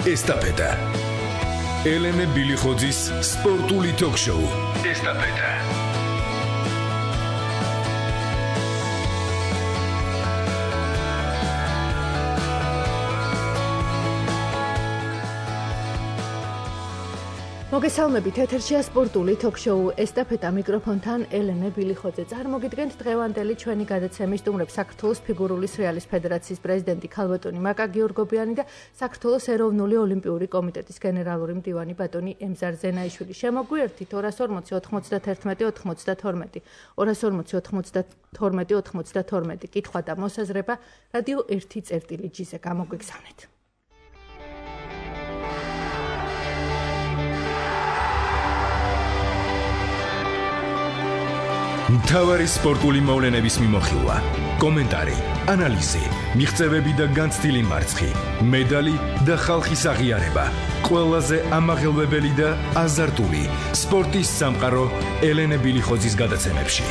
ესტაფეტა. ელენე ბილიხოძის სპორტული ток-შოუ. ესტაფეტა. მოგესალმებით, ეთერშია სპორტული ток-შოუ ესტაფეტა, მიკროფონთან ელენე ბილიხოძე. წარმოგიდგენთ დღევანდელი ჩვენი გადაცემის სტუმრებს საქართველოს ფიგურული სრიალის ფედერაციის პრეზიდენტი ქალბატონი მაკა გიორგობიანი და საქართველოს ეროვნული ოლიმპიური კომიტეტის გენერალური მდივანი ბატონი ემზარ ზენაიშვილი. შემოგვიერთით 240 91 92 240 92 92 კითხვა და მოსაზრება რადიო 1.წერტილი-ზე გამოგვიგზავნეთ. მთავარი სპორტული მოვლენების მიმოხილვა, კომენტარი, ანალიზი, მიღწევები და განცდილი მარცხი, მედალი და ხალხის აღიარება. ყველაზე ამაღელვებელი და აზარტული სპორტის სამყარო ელენე ბილიხოძის გადაცემებში.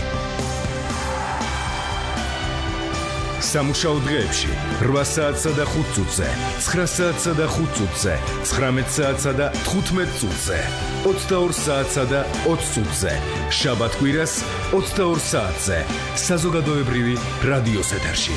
სამუშაო დღეებში 8 საათსა და 5 წუთზე, 9 საათსა და 5 წუთზე, 19 საათსა და 15 წუთზე, 22 საათსა და 20 წუთზე, შაბათ-კვირას 22 საათზე, საზოგადოებრივი რადიოს ეთერში.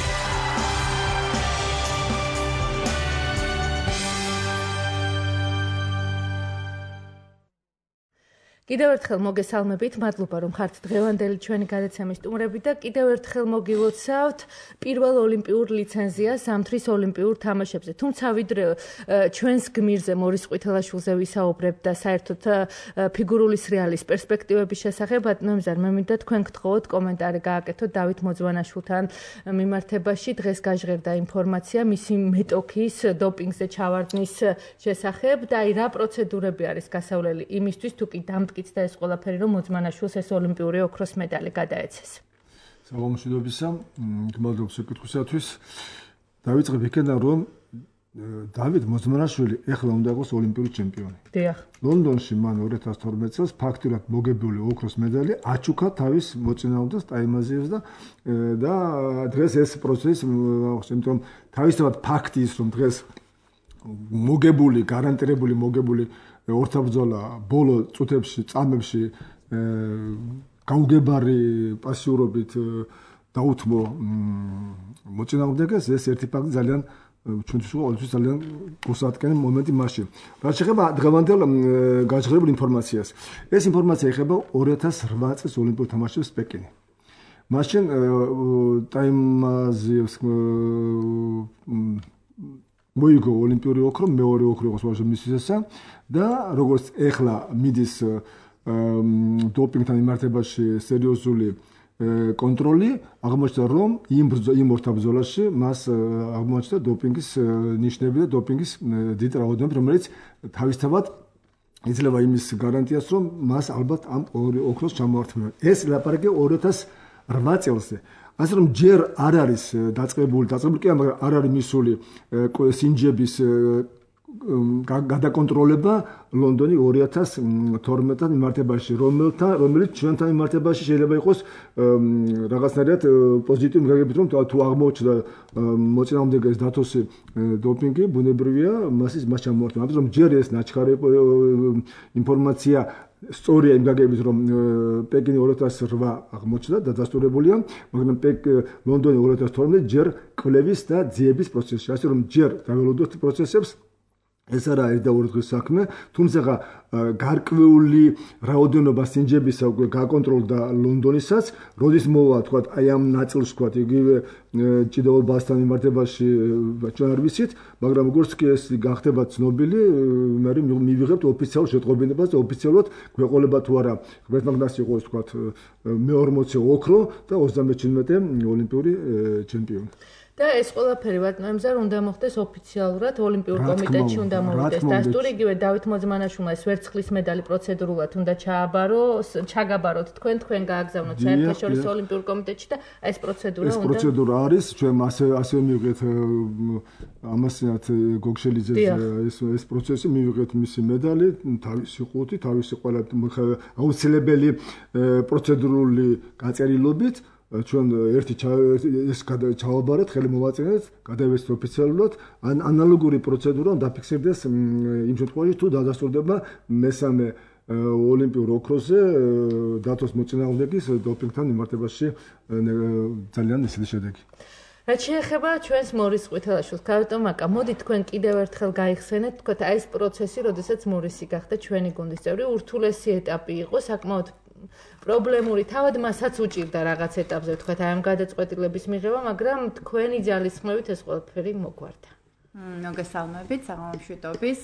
კიდევ ერთხელ მოგესალმებით, მადლობა რომ ხართ დღევანდელი ჩვენი გადაცემის სტუმრები და კიდევ ერთხელ მოგილოცავთ პირველ ოლიმპიურ ლიცენზიას ზამთრის ოლიმპიურ თამაშებზე. თუმცა ვიდრე ჩვენს გმირზე მორის ყვითელაშვილზე ვისაუბრებ და საერთოდ ფიგურული სრიალის პერსპექტივების შესახებ, ნომზარ მე მინდა თქვენ გთხოვოთ კომენტარი გააკეთოთ დავით მოძვანაშვილთან მიმართებაში. დღეს გაჟღერდა ინფორმაცია მისი მეტოქის დოპინგზე ჩავარდნის შესახებ და აი რა პროცედურები არის გასავლელი იმისთვის თუ კი დამტკიცდა ეს ყველაფერი რომ მოძმანაშვილს ეს ოლიმპიური ოქროს მედალი გადაეცეს. სამომშვიდობისა, გმადლობთ შეკითხვისათვის. დავიწყებ იქიდან რომ დავით მოძმანაშვილი ეხლა უნდა იყოს ოლიმპიური ჩემპიონი. დიახ. ლონდონში მან 2012 წელს ფაქტურად მოგებული ოქროს მედალი აჩუქა თავის მოწინააღმდეგეს ტაიმაზიევს და დღეს ეს პროცესი, იმიტომ თავისთავად ფაქტი ის რომ დღეს მოგებული, გარანტირებული მოგებული ორთაბრძოლა ბოლო წუთებში, წამებში გაუგებარი პასიურობით დაუთმო მოწინააღმდეგეს, ეს ერთი ფაქტი ძალიან ჩვენთვის ყოველთვის ძალიან გულსაატკენი მომენტი მასში. რაც შეეხება დღევანდელ გაჟღერებულ ინფორმაციას. ეს ინფორმაცია ეხება 2008 წლის ოლიმპიურ თამაშებს პეკინი. მაშინ ტაიმაზიევს მოიგო ოლიმპიური ოქრო, მეორე ოქრო იყო სულ მისისესა და როგორც ეხლა მიდის დოპინგთან მიმართებაში სერიოზული კონტროლი, აღმოჩნდა რომ იმ ორთაბრძოლაში მას აღმოჩნდა დოპინგის ნიშნები და დოპინგის დიდი რაოდენობა, რომელიც თავისთავად იძლევა იმის გარანტიას, რომ მას ალბათ ამ ოქროს ჩამოართმევა. ეს ლაპარაკი 2008 წელზე. ასე რომ ჯერ არ არის დაწყებული კი მაგრამ არ არის მისული სინჯების გადაკონტროლება ლონდონი 2012-თან მიმართებაში, რომელიც ჩვენთან მიმართებაში შეიძლება იყოს რაღაცნაირად პოზიტიური გაგებით, რომ თუ აღმოჩნდა მოწინააღმდეგეს დათოსი დოპინგი, ბუნებრივია მას ჩამოართმევა. ამიტომ ჯერ ეს ნაჩქარი ინფორმაცია სწორია იმ გაგებით, რომ პეკინი 2008 აღმოჩნდა და დასტურებულია, მაგრამ ლონდონი 2012 ჯერ კვლევის და ძიების პროცესში. ასე რომ ჯერ დაველოდოთ პროცესებს, ეს არა ერთ და ორი დღის საქმე, თუმცა გარკვეული რაოდენობა სინჯებისა უკვე გაკონტროლდა ლონდონისაც, როდის მოვა თქვა აი ამ ნაწილს თქვა იგივე ჭიდაობასთან მიმართებაში ჩვენ არ ვიცით, მაგრამ როგორც კი ეს გახდება ცნობილი, მე მივიღებთ ოფიციალურ შეტყობინებას და ოფიციალურად გვეყოლება თუ არა ღმერთმაგნას იყოს თქვა მე-40 ოქრო და 37 ოლიმპიური ჩემპიონი. და ეს ყველაფერი ვატნოემზარ უნდა მოხდეს ოფიციალურად ოლიმპიურ კომიტეტში უნდა მოვიდეს დასტური, იგივე დავით მოძმანაშვილმა ეს ვერცხლის მედალი პროცედურულად უნდა ჩაგაბაროთ თქვენ გააგზავნოთ საერთაშორისო ოლიმპიურ კომიტეტში და ეს პროცედურა უნდა ეს პროცედურა არის ჩვენ ასე მივიღეთ ამასინათ გოგშელიძეს ეს პროცესი მივიღეთ მისი მედალი თავისი ყუთი თავისი ყველა აუცილებელი პროცედურული გაწერილობით ჩვენ ერთი ეს ჩავაბარეთ, ხელი მოვაწინეთ, გადავეცეთ ოფიციალურად, ანალოგური პროცედურა დაფიქსირდეს იმ შემთხვევაში, თუ დადასტურდება მესამე ოლიმპიურ ოქროზე დათოს მოწინააღმდეგის დოპინგთან მიმართებაში ძალიან ისეთი შედეგი. რაც შეეხება ჩვენს მორის ყვითელაშვილს, გავიტომ აკა, მოდი თქვენ კიდევ ერთხელ გაიხსენეთ, თქვათ აი ეს პროცესი, როდესაც მორისი გახდა ჩვენი გუნდის წევრი, ურთულესი ეტაპი იყო, საკმაოდ პრობლემური, თავად მასაც უჭირდა რაღაც ეტაპზე, თქვათ აი ამ გადაწყვეტილების მიღება, მაგრამ თქვენი ძალისხმევით ეს ყველაფერი მოგვარდა. მოგესალმებით, საღამომშვიდობის,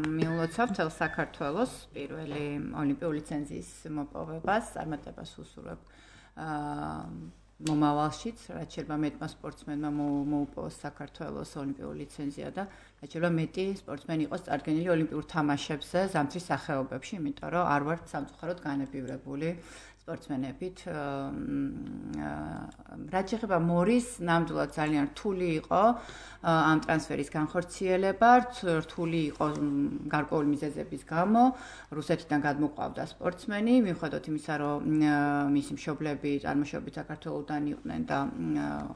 მიულოცავ თელ საქართველოს პირველი ოლიმპიური ლიცენზიის მოპოვებას, წარმატებას უსურვებ მომავალშიც, რაც შეიძლება მეტმა სპორტსმენმა მოუპოვოს საქართველოს ოლიმპიური ლიცენზია და რაც შეიძლება მეტი სპორტსმენი იყოს წარდგენილი ოლიმპიურ თამაშებზე ზამთრის სახეობებში, იმიტომ რომ არ ვართ სამწუხაროდ განებივრებული სპორტსმენებით. რაც შეეხება მორის, ნამდვილად ძალიან რთული იყო ამ ტრანსფერის განხორციელება, რთული იყო გარკვეული მიზეზების გამო, რუსეთიდან გადმოყვავდა სპორტსმენი, მიუხედავად იმისა, რომ მისი მშობლები წარმოშობით საქართველოდან იყვნენ და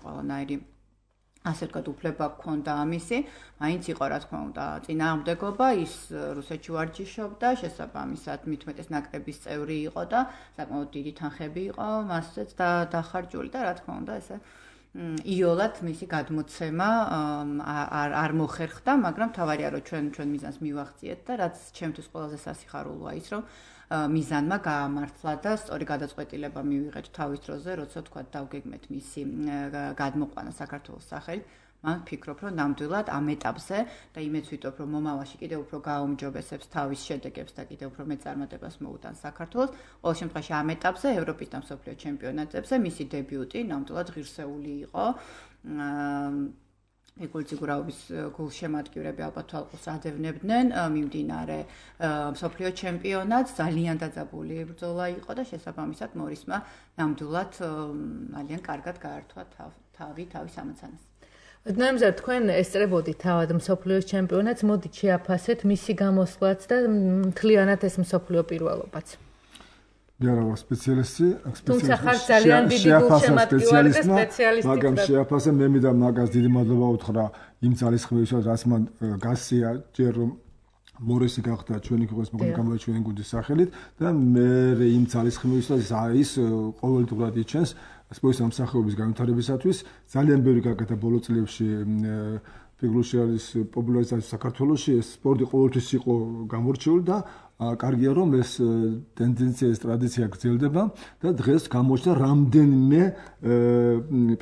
ყველანაირი ასე ვთქვათ, უფლება ჰქონდა ამისი, მაინც იყო რა თქმა უნდა წინააღმდეგობა, ის რუსეთში ვარჯიშობდა, შესაბამისად მithumetes ნაკრების წევრი იყო და საკმაოდ დიდი თანხები იყო მასზეც დახარჯული და რა თქმა უნდა ესე იოლად მისი გადმოცემა არ მოხერხდა, მაგრამ თავარია რომ ჩვენ მიზანს მივახციეთ და რაც ჩემთვის ყველაზე სასიხარულოა ის რომ მიზანმა გაამართლა და სწორი გადაწყვეტილება მივიღეთ თავის დროზე, როცა თქვა დავგეგმეთ მისი გადმოყვანა საქართველოს სახელით. მან ვფიქრობ, რომ ნამდვილად ამ ეტაპზე და იმეც ვიტყობ, რომ მომავალში კიდევ უფრო გააუმჯობესებს თავის შედეგებს და კიდევ უფრო მეტ წარმატებას მოუტანს საქართველოს. ყოველ შემთხვევაში ამ ეტაპზე ევროპის და მსოფლიო ჩემპიონატებზე მისი დებიუტი ნამდვილად ღირსეული იყო. ეკულციგურაობის გულშემატკივრები ალბათ თვალყურს ადევნებდნენ მიმდინარე მსოფლიო ჩემპიონატს, ძალიან დაძაბული ბრძოლა იყო და შესაბამისად მორისმა ნამდვილად ძალიან კარგად გაართვა თავის ამოცანას. ნამზად თქვენ ესწრებოდით თავად მსოფლიოს ჩემპიონატს, მოდით შეაფასეთ მისი გამოსვლაც და მთლიანად ეს მსოფლიო პირველობაც. მე არა ვარ სპეციალისტი, თუმცა ხარ ძალიან დიდი გულშემატკივარი და სპეციალისტი. მაგრამ შეაფასე მე მინდა მაგას დიდი მადლობა უთხრა იმ ძალისხმევისთვის, რაც მან გასია ჯერ მორისი გახდა ჩვენი ქვეყნის მოქმედი ჩვენი გუნდის სახელით და მე იმ ძალისხმევისთვის ის ყოველდღურად იჩენს სპორტის ამსახურების განვითარებისათვის ძალიან ბევრი გაკეთა ბოლო წლებში ფიგურული არის პოპულარიზაცია საქართველოში ეს სპორტი ყოველთვის იყო გამორჩეული და კარგია რომ ეს ტენდენცია ეს ტრადიცია გრძელდება და დღეს გამოჩნდა რამდენიმე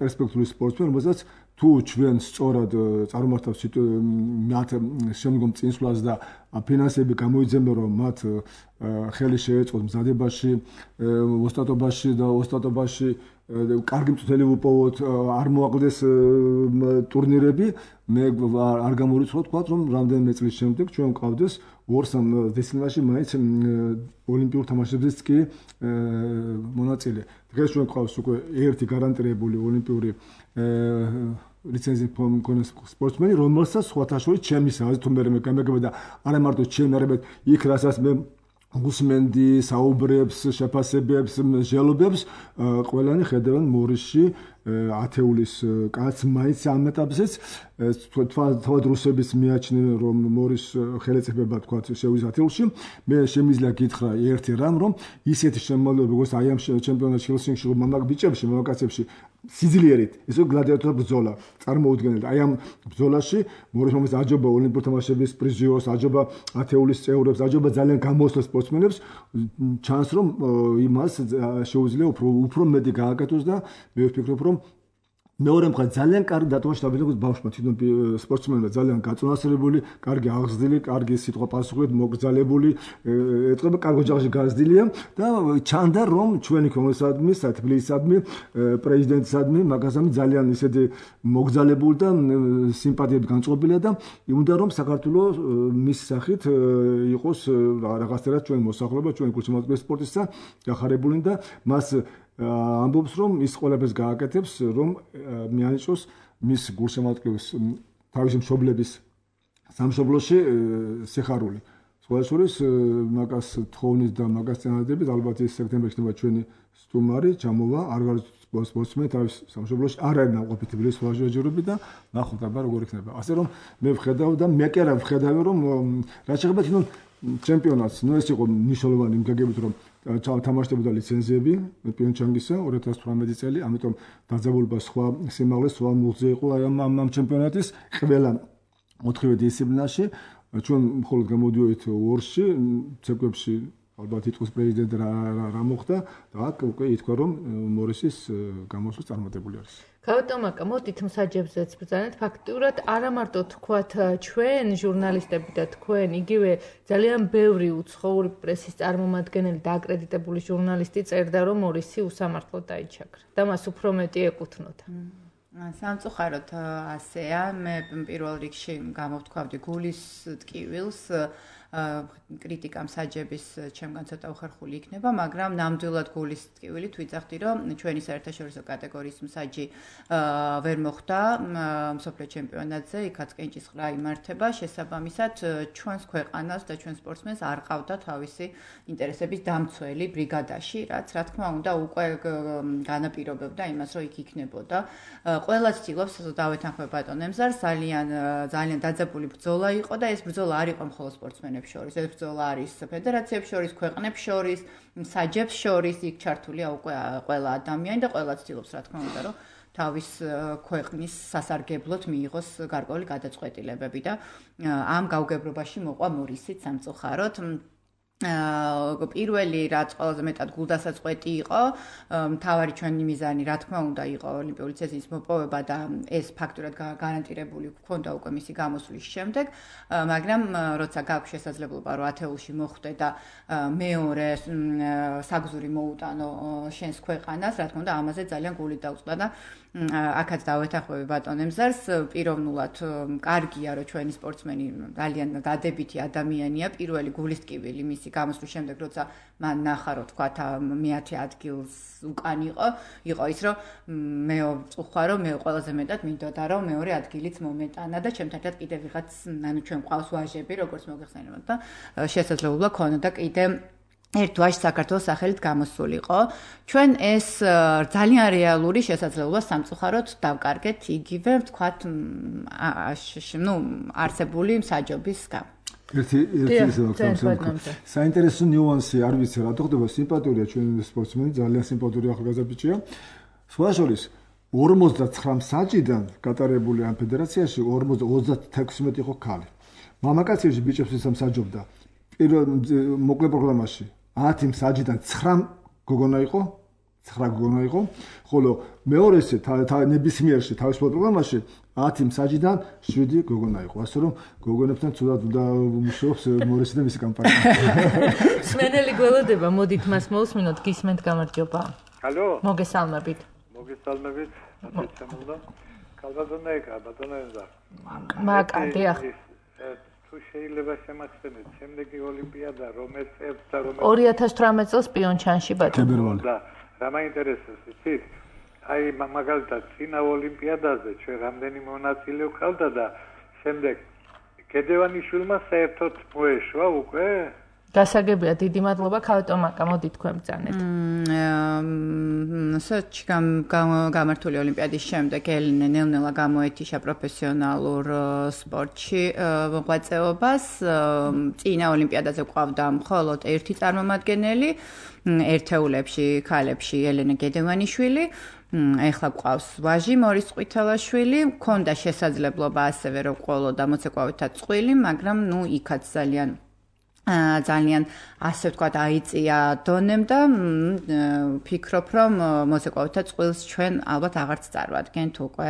პერსპექტიული სპორტსმენი რომელსაც თუ ჩვენ სწორად წარმართავს მათ შემდგომ წინსვლას და ფინანსები გამოიძებენ რომ მათ ხელი შეეწყოს მზადებაში ოსტატობაში კარგი მწვრთნელი უპოვოთ არ მოაკლდეს ტურნირები მე არ გამორიცხავ თქვა რომ რამდენიმე წლის შემდეგ ჩვენ გვყავდეს 2-3 დისციპლინაში მაინც ოლიმპიურ თამაშებზეც კი მონაწილე დღეს ჩვენ გვყავს უკვე ერთი გარანტირებული ოლიმპიური ლიცენზიის მქონე სპორტსმენი რომელსაც სხვათა შორის ჩემი საზრით თუ მე გამეგება და არა მარტო ჩემი არამედ იქ რასაც მე გუსმენდი საუბრებს შეფასებებს ჟელობებს ყველანი ხედავენ მორისში ათეულის კაც მაინც ამ ეტაპზეც თავად რუსების მიაჩნდნენ რომ მორის ხელეწიფება თქვა შევიზ ათეულში მე შემიძლია გითხრა ერთი რამ რომ ისეთი შემოვლება როგორც აი ამ ჩემპიონატში ჰელსინკში მამაკ ბიჭებში მამაკაცებში სიძლიერით ისო გლადიატორ ბრძოლა წარმოუდგენელია აი ამ ბრძოლაში მორის მომის აჯობა ოლიმპიურ თამაშების პრიზიორს აჯობა ათეულის წევრებს აჯობა ძალიან გამოსვლა სპორტსმენებს ჩანს რომ იმას შეუძლია უფრო მეტი გააკეთოს და მე ვფიქრობ რომ მეორე მხრივ ძალიან კარგი დატოვება დაბედოს ბავშვმა თვითონ სპორტსმენმა ძალიან გაწონასწორებული, კარგი აღზრდილი, კარგი სიტყვა პასუხით მოგრძალებული, ეთყობა კარგ ოჯახში გაზრდილია და ჩანდა რომ ჩვენი კონგრესადმი, თბილისადმი, პრეზიდენტისადმი მაგასამი ძალიან ისეთი მოგრძალებული და სიმპათიები განწყობილია და უნდა რომ საქართველოს მის სახით იყოს რაღაცერად ჩვენ მოსახლეობა, ჩვენ გულშემატკივრის სპორტისა გახარებული და მას ამბობს რომ ის ყველაფერს გააკეთებს რომ მიანიჭოს მის გულშემატკივრის თავისი მშობლების სამშობლოში სიხარული. სხვა შორის მაგას თხოვნის და მაგას წინადადებით ალბათ ის სექტემბერში ხდება ჩვენი სტუმარი ჩამოვა არ სპორტსმენი თავის სამშობლოში არ არის ნაყოფი თბილისის ვაჟიოჯერები და ნახოთ აბა როგორ იქნება. ასე რომ მე ვხედავ და მე კი არა ვხედავი რომ რაც შეეხება თვითონ ჩემპიონატს, ეს იყო მნიშვნელოვანი იმ გაგებით რომ თამაშდებოდა ლიცენზიები პიონჩანგისა 2018 წელი, ამიტომ დაძაბულობა სხვა სიმაღლე, სხვა მუხზე იყო ამ ჩემპიონატის ყველა 4 დისციპლინაში. ჩვენ მხოლოდ გამოდიოდით ორში, ცეკვებში ალბათ იტყვის პრეზიდენტი რა მოხდა და აქ უკვე ითქვა რომ მორისის გამოსვლა წარმატებული არის. გავტომაკა, მოდით მსაჯებზეც ბრძანეთ. ფაქტურად არა მარტო თქვათ ჩვენ ჟურნალისტები და თქვენ, იგივე ძალიან ბევრი უცხოური პრესის წარმომადგენელი და აკრედიტებული ჟურნალისტი წერდა რომ მორისი უსამართლოდ დაიჩაქრა და მას უფრო მეტი ეკუთვნოდა. სამწუხაროდ ასეა, მე პირველ რიგში გამოვთქვავდი გულის ტკივილს, კრიტიკა მსაჯების ჩემგან ცოტა უხერხული იქნება, მაგრამ ნამდვილად გულის ტკივილით ვიძახდი, რომ ჩვენი საერთაშორისო კატეგორიის მსაჯი ვერ მოხდა მსოფლიო ჩემპიონატზე, იქაც კენჭისყრა იმართება, შესაბამისად ჩვენს ქვეყანას და ჩვენ სპორტსმენს არ ყავდა თავისი ინტერესების დამცველი ბრიგადაში, რაც რა თქმა უნდა უკვე განაპირობებდა იმას, რომ იქ იქნებოდა. ყველა ცდილობს დავეთანხმებ ბატონ ემზარს, ძალიან დაძაბული ბრძოლა იყო და ეს ბრძოლა არ იყო მხოლოდ სპორტსმენებს შორის, ეს ბრძოლა არის ფედერაციებს შორის, ქვეყნებს შორის, მსაჯებს შორის, იქ ჩართულია უკვე ყველა ადამიანი და ყველა ცდილობს რა თქმა უნდა, რომ თავის ქვეყნის სასარგებლოდ მიიღოს გარკვეული გადაწყვეტილებები და ამ გაუგებრობაში მოყვა მორისიც სამწუხაროდ. პირველი რაც ყველაზე მეტად გულდასაწყვეტი იყო, მთავარი ჩვენი მიზანი რა თქმა უნდა იყო ოლიმპიური ლიცენზიის მოპოვება და ეს ფაქტურად გარანტირებული გქონდა უკვე მისი გამოსვლის შემდეგ, მაგრამ როცა გაქვს შესაძლებლობა რომ ათეულში მოხვდე და მეორე საგზური მოუტანო შენს ქვეყანას, რა თქმა უნდა ამაზე ძალიან გული დაუწყდა და აქაც დავეთანხმები ბატონ ემზარს, პიროვნულად კარგია რომ ჩვენი სპორტსმენი ძალიან დადებითი ადამიანია, პირველი გულის ტკივილი მისი გამოსვლის შემდეგ, როცა მან ნახა რომ თქვა მე-10 ადგილს უკან იყო ის რომ მე ვწუხვა რომ მე ყველაზე მეტად მინდოდა რომ მეორე ადგილიც მომეტანა და ჩემთან ერთად კიდე ვიღაც ჩვენ ყავს ვაჟები როგორც მოგეხსენებათ და შესაძლებლობა ქონოდა კიდე ერთ ვაჟს საქართველოს სახელით გამოსულიყო. ჩვენ ეს ძალიან რეალური შესაძლებლობა სამწუხაროდ დავკარგეთ იგივე ვთქვათ არსებული მსაჯობის გამო. ერთი საინტერესო ნიუანსი არ ვიცი რა ხდება, სიმპათურია ჩვენ სპორტსმენი, ძალიან სიმპათური ახალგაზრდა ბიჭია. სხვა შორის 59 მსაჯიდან გატარებული ამ ფედერაციაში 36 იყო ქალი. მამაკაცებში ბიჭებს ისამსაჯობდა. პირველ მოკლე პროგრამაში 10 მსაჯიდან 9 გოგონა იყო, ხოლო მეორეზე ნებისმიერში თავისუფალ პროგრამაში 10 მსაჯიდან 7 გოგონა იყო. ასე რომ გოგონებთან ცუდად უნდა მუშაობს მორისი და მისი კამპანია. სმენელი გველოდება, მოდით მას მოვსმინოთ, გისმენთ, გამარჯობა. ჰალო. მოგესალმებით. მოგესალმებით. აცემულდა. კალბატონაიკა, ბატონაენდა. მაკადე ახ. თუ შეიძლება შემახსენეთ, შემდეგი ოლიმპიადა რომელ წელს და რომელ 2018 წელს პიონჩანში ბატონო. და რა მაინტერესებს იცით? აი მაგალითად წინა ოლიმპიადაზე ჩვენ რამდენი მონაწილე ვქავდა და შემდეგ კედევანიშვილმა საერთოდ მოეშვა უკვე? გასაგებია, დიდი მადლობა, ქალტომაკა, მოდი თქვენ ბრძანეთ. სოჩი გამართული ოლიმპიადის შემდეგ ელენე ნელ-ნელა გამოეთიშა პროფესიონალურ სპორტში მოღვაწეობას. წინა ოლიმპიადაზე ყავდა მხოლოდ ერთი წარმომადგენელი, ერთეულებში, ქალებში ელენე გედევანიშვილი. ეხლა ყავს ვაჟი მორის ყვითელაშვილი, მქონდა შესაძლებლობა ასევე რომ ყოლოდა მოცეკვავითად წყვილი, მაგრამ იქაც ძალიან ასე ვთქვათ აიწია დონემ და ფიქრობ რომ მოცეკვავითად წვილს ჩვენ ალბათ აღარც წარვადგენთ უკვე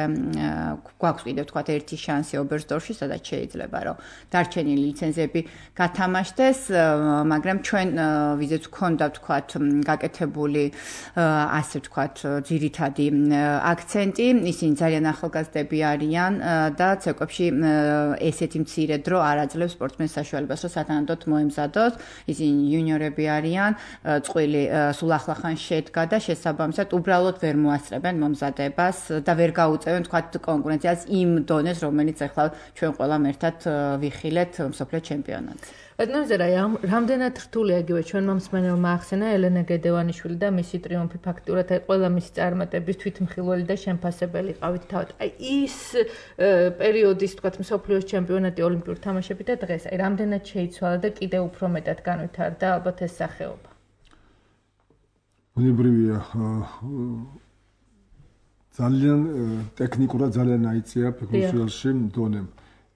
გვაქვს კიდევ ვთქვათ ერთი შანსი ობერსდორფში, სადაც შეიძლება რომ დარჩენილი ლიცენზიები გათამაშდეს, მაგრამ ჩვენ ვიზეც ვქონდა ვთქვათ გაკეთებული ასე ვთქვათ ძირითადი აქცენტი, ისინი ძალიან ახალგაზრდები არიან და ცეკვებში ესეთი მცირე დრო არ აძლევს სპორტსმენს საშუალებას რომ სათანადოდ მოემზადოს, ისინი იუნიორები არიან, წყვილი სულ ახლახან შედგა და შესაბამისად უბრალოდ ვერ მოასწრებენ მომზადებას და ვერ გაუწევენ თქვათ კონკურენციას იმ დონეს, რომელიც ახლა ჩვენ ყველამ ერთად ვიხილეთ მსოფლიო ჩემპიონატზე. ბატონო ზერაი, რამდენად რთულია იგივე ჩვენმა მსმენელმა ახსენა ელენა გედევანიშვილი და მისი ტრიუმფი ფაქტიურად აი ყველა მისი წარმატების თვითმხილველი და შემფასებელი ყავით თავად. აი ის პერიოდის თქვათ მსოფლიოს ჩემპიონატი ოლიმპიურ თამაშები და დღეს აი რამდენად შეიცვალა და კიდევ უფრო მეტად განვითარდა ალბათ ეს სახეობა. ბუნებრივია ძალიან ტექნიკურად ძალიან აიწია ფიგურში დონემ.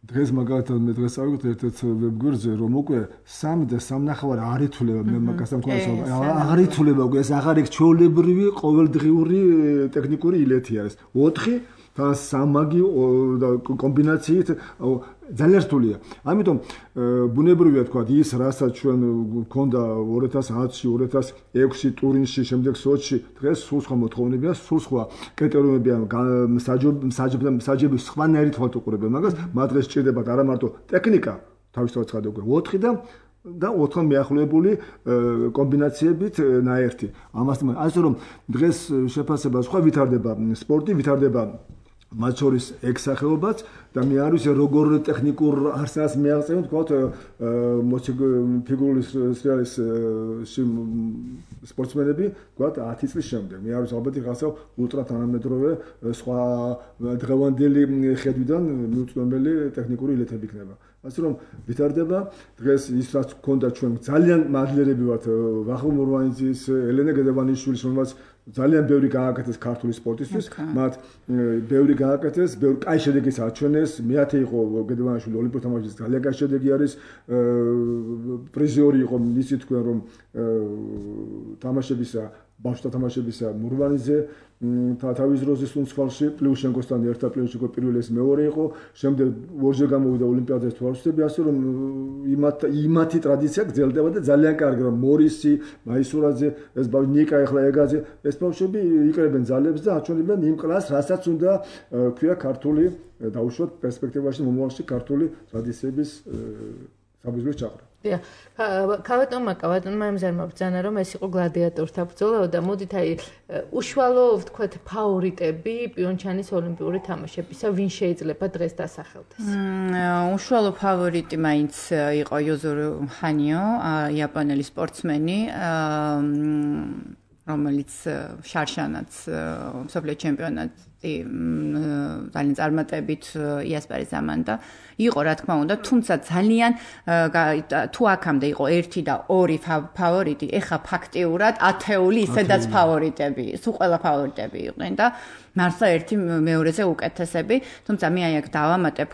დღეს მაგალითად მე დღეს ავიღოთ ერთ-ერთ ვებგვერდზე რომ უკვე 3 და 3.5 არ ითვლება მე მაგასთან მქონდა აღარ ითვლება უკვე ეს აღარ იქ ჩვეულებრივი ყოველდღიური ტექნიკური ileti არის 4 და 3 მაგი და კომბინაციით ძალიან რთულია. ამიტომ ბუნებრივია თქვა ის რასაც ჩვენ მქონდა 2010-ში, 2006-ში ტურინში, შემდეგ სოჩში, დღეს სულ სხვა მოთხოვნებია, სულ სხვა კრიტერიუმებია მსაჯების სხვანაირი თვალთუყურება მაგას, მათ დღეს სჭირდებათ არა მარტო ტექნიკა, თავისთავად ცხადია უკვე 4 და 4 მიახლოებული კომბინაციებით ნაერთი. ამასთან ასე რომ დღეს შეფასება სხვა ვითარდება სპორტი, ვითარდება მათ შორის ექსახეობაც და მე არ ვიცი როგორ ტექნიკურ არსებას მეაღწევენ თქვათ ფიგურული სრიალის სპორტსმენები თქვათ 10 წლის შემდეგ მე არ ვიცი ალბათ რაღაცა ულტრა თანამედროვე სხვა დღევანდელი ხედვიდან მიუწვდომელი ტექნიკური ილეთები იქნება. ასე რომ ვითარდება დღეს ის რაც გქონდა ჩვენ ძალიან მადლიერები ვართ ვახო მურვანიძის, ელენა გედევანიშვილის, რომელსაც ძალიან ბევრი გააკეთეს ქართული სპორტისთვის, მათ ბევრი გააკეთეს, ბევრი კაი შედეგიც აჩვენეს. მეათე იყო გედევანიშვილი ოლიმპიურ თამაშებში ძალიან კაი შედეგი არის. პრიზიორი იყო ისი თქვენ რომ თამაშებისა, ბავშვთა თამაშებისა მურვანიძე თავის დროზე სუნცვალში პლიუშენკოსთან ერთად პლიუშენკო პირველი ეს მეორე იყო. შემდეგ ორჯერ გამოვიდა ოლიმპიადაზე თვალსწრები, ასე რომ იმათი ტრადიცია გრძელდება და ძალიან კარგი რომ მორისი, მაისურაძე, ეს ნიკა ეხლა ეგაძე, ეს ბავშვები იკრებენ ძალებს და აჩვენებენ იმ კლასს, რასაც უნდა ქვია ქართული დაუშვათ პერსპექტივაში მომავალში ქართული ტრადიციების საბრძოლო ჩაყრა. ქავატონმა ემზარმა ბრძანა რომ ეს იყო გლადიატორთა ბრძოლა და მოდით აი უშუალო ვთქვათ ფავორიტები პიონჩანის ოლიმპიური თამაშებისა ვინ შეიძლება დღეს დასახელდეს? უშუალო ფავორიტი მაინც იყო იოზურო ჰანიო, იაპონელი სპორტსმენი, რომელიც შარშანაც მსოფლიო ჩემპიონატი ძალიან წარმატებით იასპარის ამანდა იყო რა თქმა უნდა, თუმცა ძალიან თუ აქამდე იყო 1 და 2 ფავორიტი, ეხა ფაქტიურად ათეული ისედაც ფავორიტები, სულ ყველა ფავორიტები იყვნენ და მართლა ერთი მეორეზე უკეთესები, თუმცა მე აი აქ დავამატებ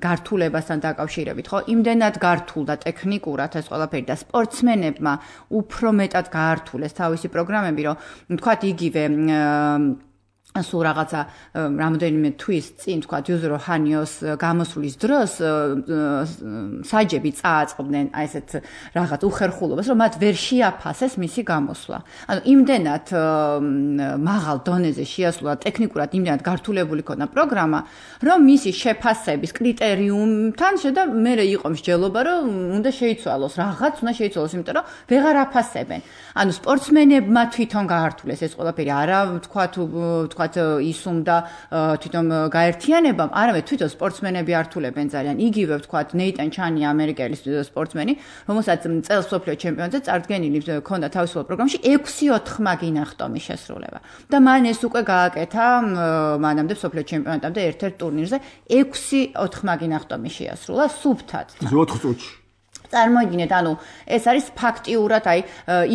გართულებასთან დაკავშირებით, ხო? იმდენად გართულ და ტექნიკურად ეს ყველაფერი და სპორტსმენებმა უფრო მეტად გაართულეს თავისი პროგრამები, რომ თქვათ იგივე სულ რაღაცა რამდენიმე თვის წინ თქვა იუზურო ჰანიოს გამოსვლის დროს საჯები წააწყდნენ აი ესეთ რაღაც უხერხულობას რომ მათ ვერ შეაფასეს მისი გამოსვლა. ანუ იმდენად მაღალ დონეზე შეასრულა ტექნიკურად იმდენად გართულებული ქონა პროგრამა რომ მისი შეფასების კრიტერიუმთან შედა მე იყო მსჯელობა რომ უნდა შეიცვალოს რაღაც უნდა შეიცვალოს იმიტომ რომ ვეღარ აფასებენ. ანუ სპორტსმენებმა თვითონ გაართულეს ეს ყველაფერი არა თქვათ ისუმდა თვითონ გაერთიანებამ, არამედ თვითონ სპორტსმენები ართულებენ ძალიან. იგივე ვთქვათ ნეიტან ჩანი ამერიკელი სპორტსმენი, რომელსაც წელს მსოფლიო ჩემპიონატზე წარდგენილი ჰქონდა თავისუფალ პროგრამაში 6-4 მაგინახტომი შესრულება. და მან ეს უკვე გააკეთა მანამდე მსოფლიო ჩემპიონატამდე ერთ-ერთ ტურნირზე 6-4 მაგინახტომი შეასრულა სუფთად. 4 წუთში. წარმოიდგინეთ, ანუ ეს არის ფაქტიურად აი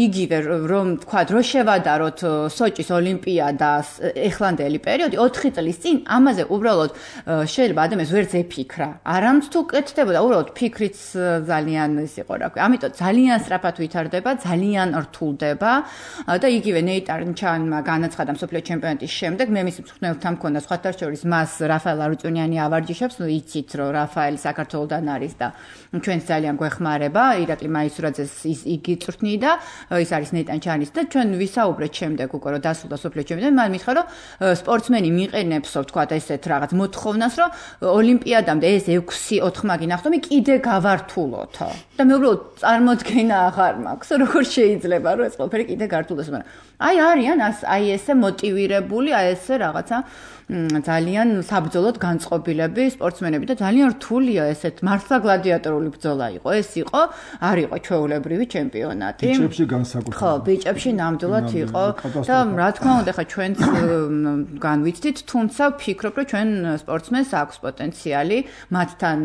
იგივე რომ თქვა რომ შევადაროთ სოჭის ოლიმპიადას ეხლანდელი პერიოდი 4 წლის წინ ამაზე უბრალოდ შეიძლება ადამიანს ვერც ეფიქრა. არამც თუ კეთდებოდა, უბრალოდ ფიქრიც ძალიან ის იყო რა ქვია. ამიტომ ძალიან სწრაფად ვითარდება, ძალიან რთულდება და იგივე ნეიტან ჩანმა განაცხადა მსოფლიო ჩემპიონატის შემდეგ მე მის მწვრთნელთან მქონდა სხვათა შორის მას რაფაელ არუწუნიანი ავარჯიშებს, იცით რომ რაფაელი საქართველოდან არის და ჩვენს ძალიან გვეხმარება ირაკლი მაისურაძეს იგი წვრთნიდა, ის არის ნეიტან ჩანის და ჩვენ ვისაუბრეთ შემდეგ უკვე რომ დასრულდა მსოფლიო ჩემპიონატი, მან მითხრა რომ სპორტსმენი მიყენებსო თქვათ ესეთ რაღაც მოთხოვნას, რომ ოლიმპიადამდე ეს 6-4 მაგინახტომი კიდე გავართულოთო. და მე უბრალოდ წარმოდგენა აღარ მაქვს, როგორ შეიძლება რომ ეს ყველაფერი კიდე გართულდეს, მაგრამ აი არიან აი ესე მოტივირებული, აი ესე რაღაცა ძალიან საბრძოლოდ განწყობილები სპორტსმენები და ძალიან რთულია ესეთ მართლა გლადიატორული ბრძოლა იყო. ეს იყო, არ იყო ჩვეულებრივი ჩემპიონატი. ბიჭებში განსაკუთრებით. ხო, ბიჭებში ნამდვილად იყო და რა თქმა უნდა, ხა ჩვენც განვიცდით, თუმცა ვფიქრობ, რომ ჩვენ სპორტსმენს აქვს პოტენციალი, მათთან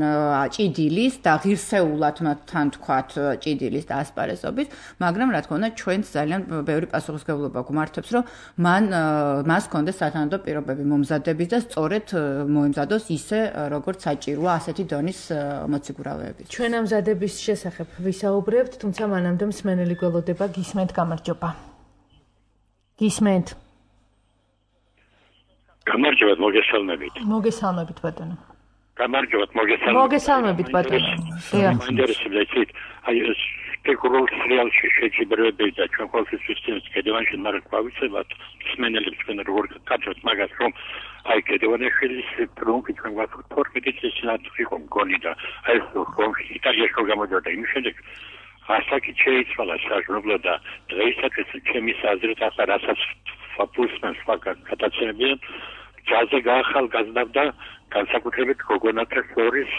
ჭიდილის და ღირსეულად მათთან თქვათ ჭიდილის და ასპარეზობის, მაგრამ რა თქმა უნდა, ჩვენც ძალიან ბევრი პასუხისმგებლობა გვმართებს, რომ მას ჰქონდეს სათანადო პირობები მომზადების და სწორედ მოემზადოს ისე, როგორც საჭიროა ასეთი დონის მოციგურავეებით. ჩვენ ამზადების შესახებ ვისაუბრებთ, თუმცა მანამდე მსმენელი გველოდება, გისმენთ, გამარჯობა. გისმენთ. გამარჯობათ, მოგესალმებით. მოგესალმებით, ბატონო. გამარჯობათ, მოგესალმებით. მოგესალმებით, ბატონო. ინტერესებდით, აი ეს სპეკულაციულ რეალში შეჯიბრებები და ჩვენ ყოველთვის ვისწინებთ კედევანში, მაგრამ გვავიცებათ მსმენელებს ჩვენ როგორ გაგაცნობთ მაგას, რომ აი კედევანაშვილის ტრუმპი ჩვენ გვაქვს 12 წლის წინათ იყო მგონი და აი ეს რომ იტალიაში რომ გამოდიოდა იმის შემდეგ ასაკი შეიცვალა საერთოდ და დღეისათვის ჩემი აზრით ახლა რასაც ფაპულსმენს გადაცემებიან ჯაზზე გაახალგაზრდა განსაკუთრებით გოგონათა შორის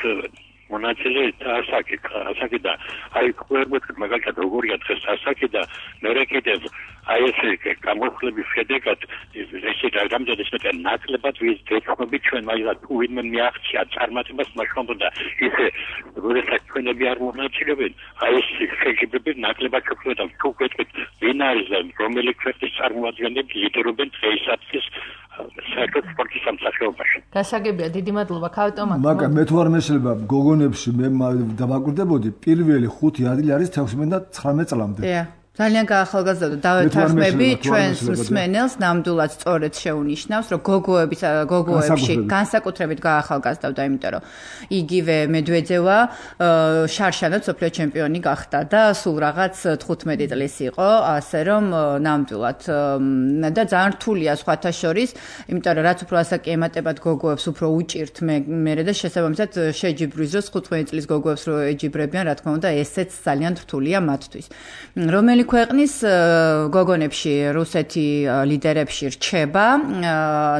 მონაწილე ასაკი და აი ყველგან მაგალითად როგორია დღეს ასაკი და მერე კიდევ აი ეს გამოსვლების შედეგად ესე რამდენიც მეტი ნაკლებად ვიზდეცნობი ჩვენ მაგალითად თუ ვინმე მიაღწია წარმატებას მაშინ და ისე როდესაც ჩვენები არ მონაწილეობენ აი ეს შეჯიბრები ნაკლებად შეფლოდა თუ გვეტყვით ვინ არის და რომელი ქვეყნის წარმოადგენლები ლიდერობენ დღეისათვის საერთოდ სპორტის სამსახიობაში. გასაგებია, დიდი მადლობა, ქავტომატო. მაგრამ მე თუ არ მეშლება გოგონებში მე დავაკვირდებოდი, პირველი 5 ადგილი არის 16-19 წლამდე. ძალიან გაახალგაზრდა დავეთანხმები ჩვენს მსმენელს ნამდვილად სწორედ შეუნიშნავს, რომ გოგოებში განსაკუთრებით გაახალგაზრდა, იმიტომ რომ იგივე მედვედევა შარშანად სოფლიო ჩემპიონი გახდა და სულ რაღაც 15 წლის იყო, ასე რომ ნამდვილად და ძალიან რთულია სხვათა შორის, იმიტომ რომ რაც უფრო ასაკი ემატებათ გოგოებს, უფრო უჭირთ მე და შესაბამისად შეჯიბრის დროს 15 წლის გოგოებს რო ეჯიბრებიან, რა თქმა უნდა, ესეც ძალიან რთულია მათთვის. რომელი ქვეყნის გოგონებში რუსეთი ლიდერებში რჩება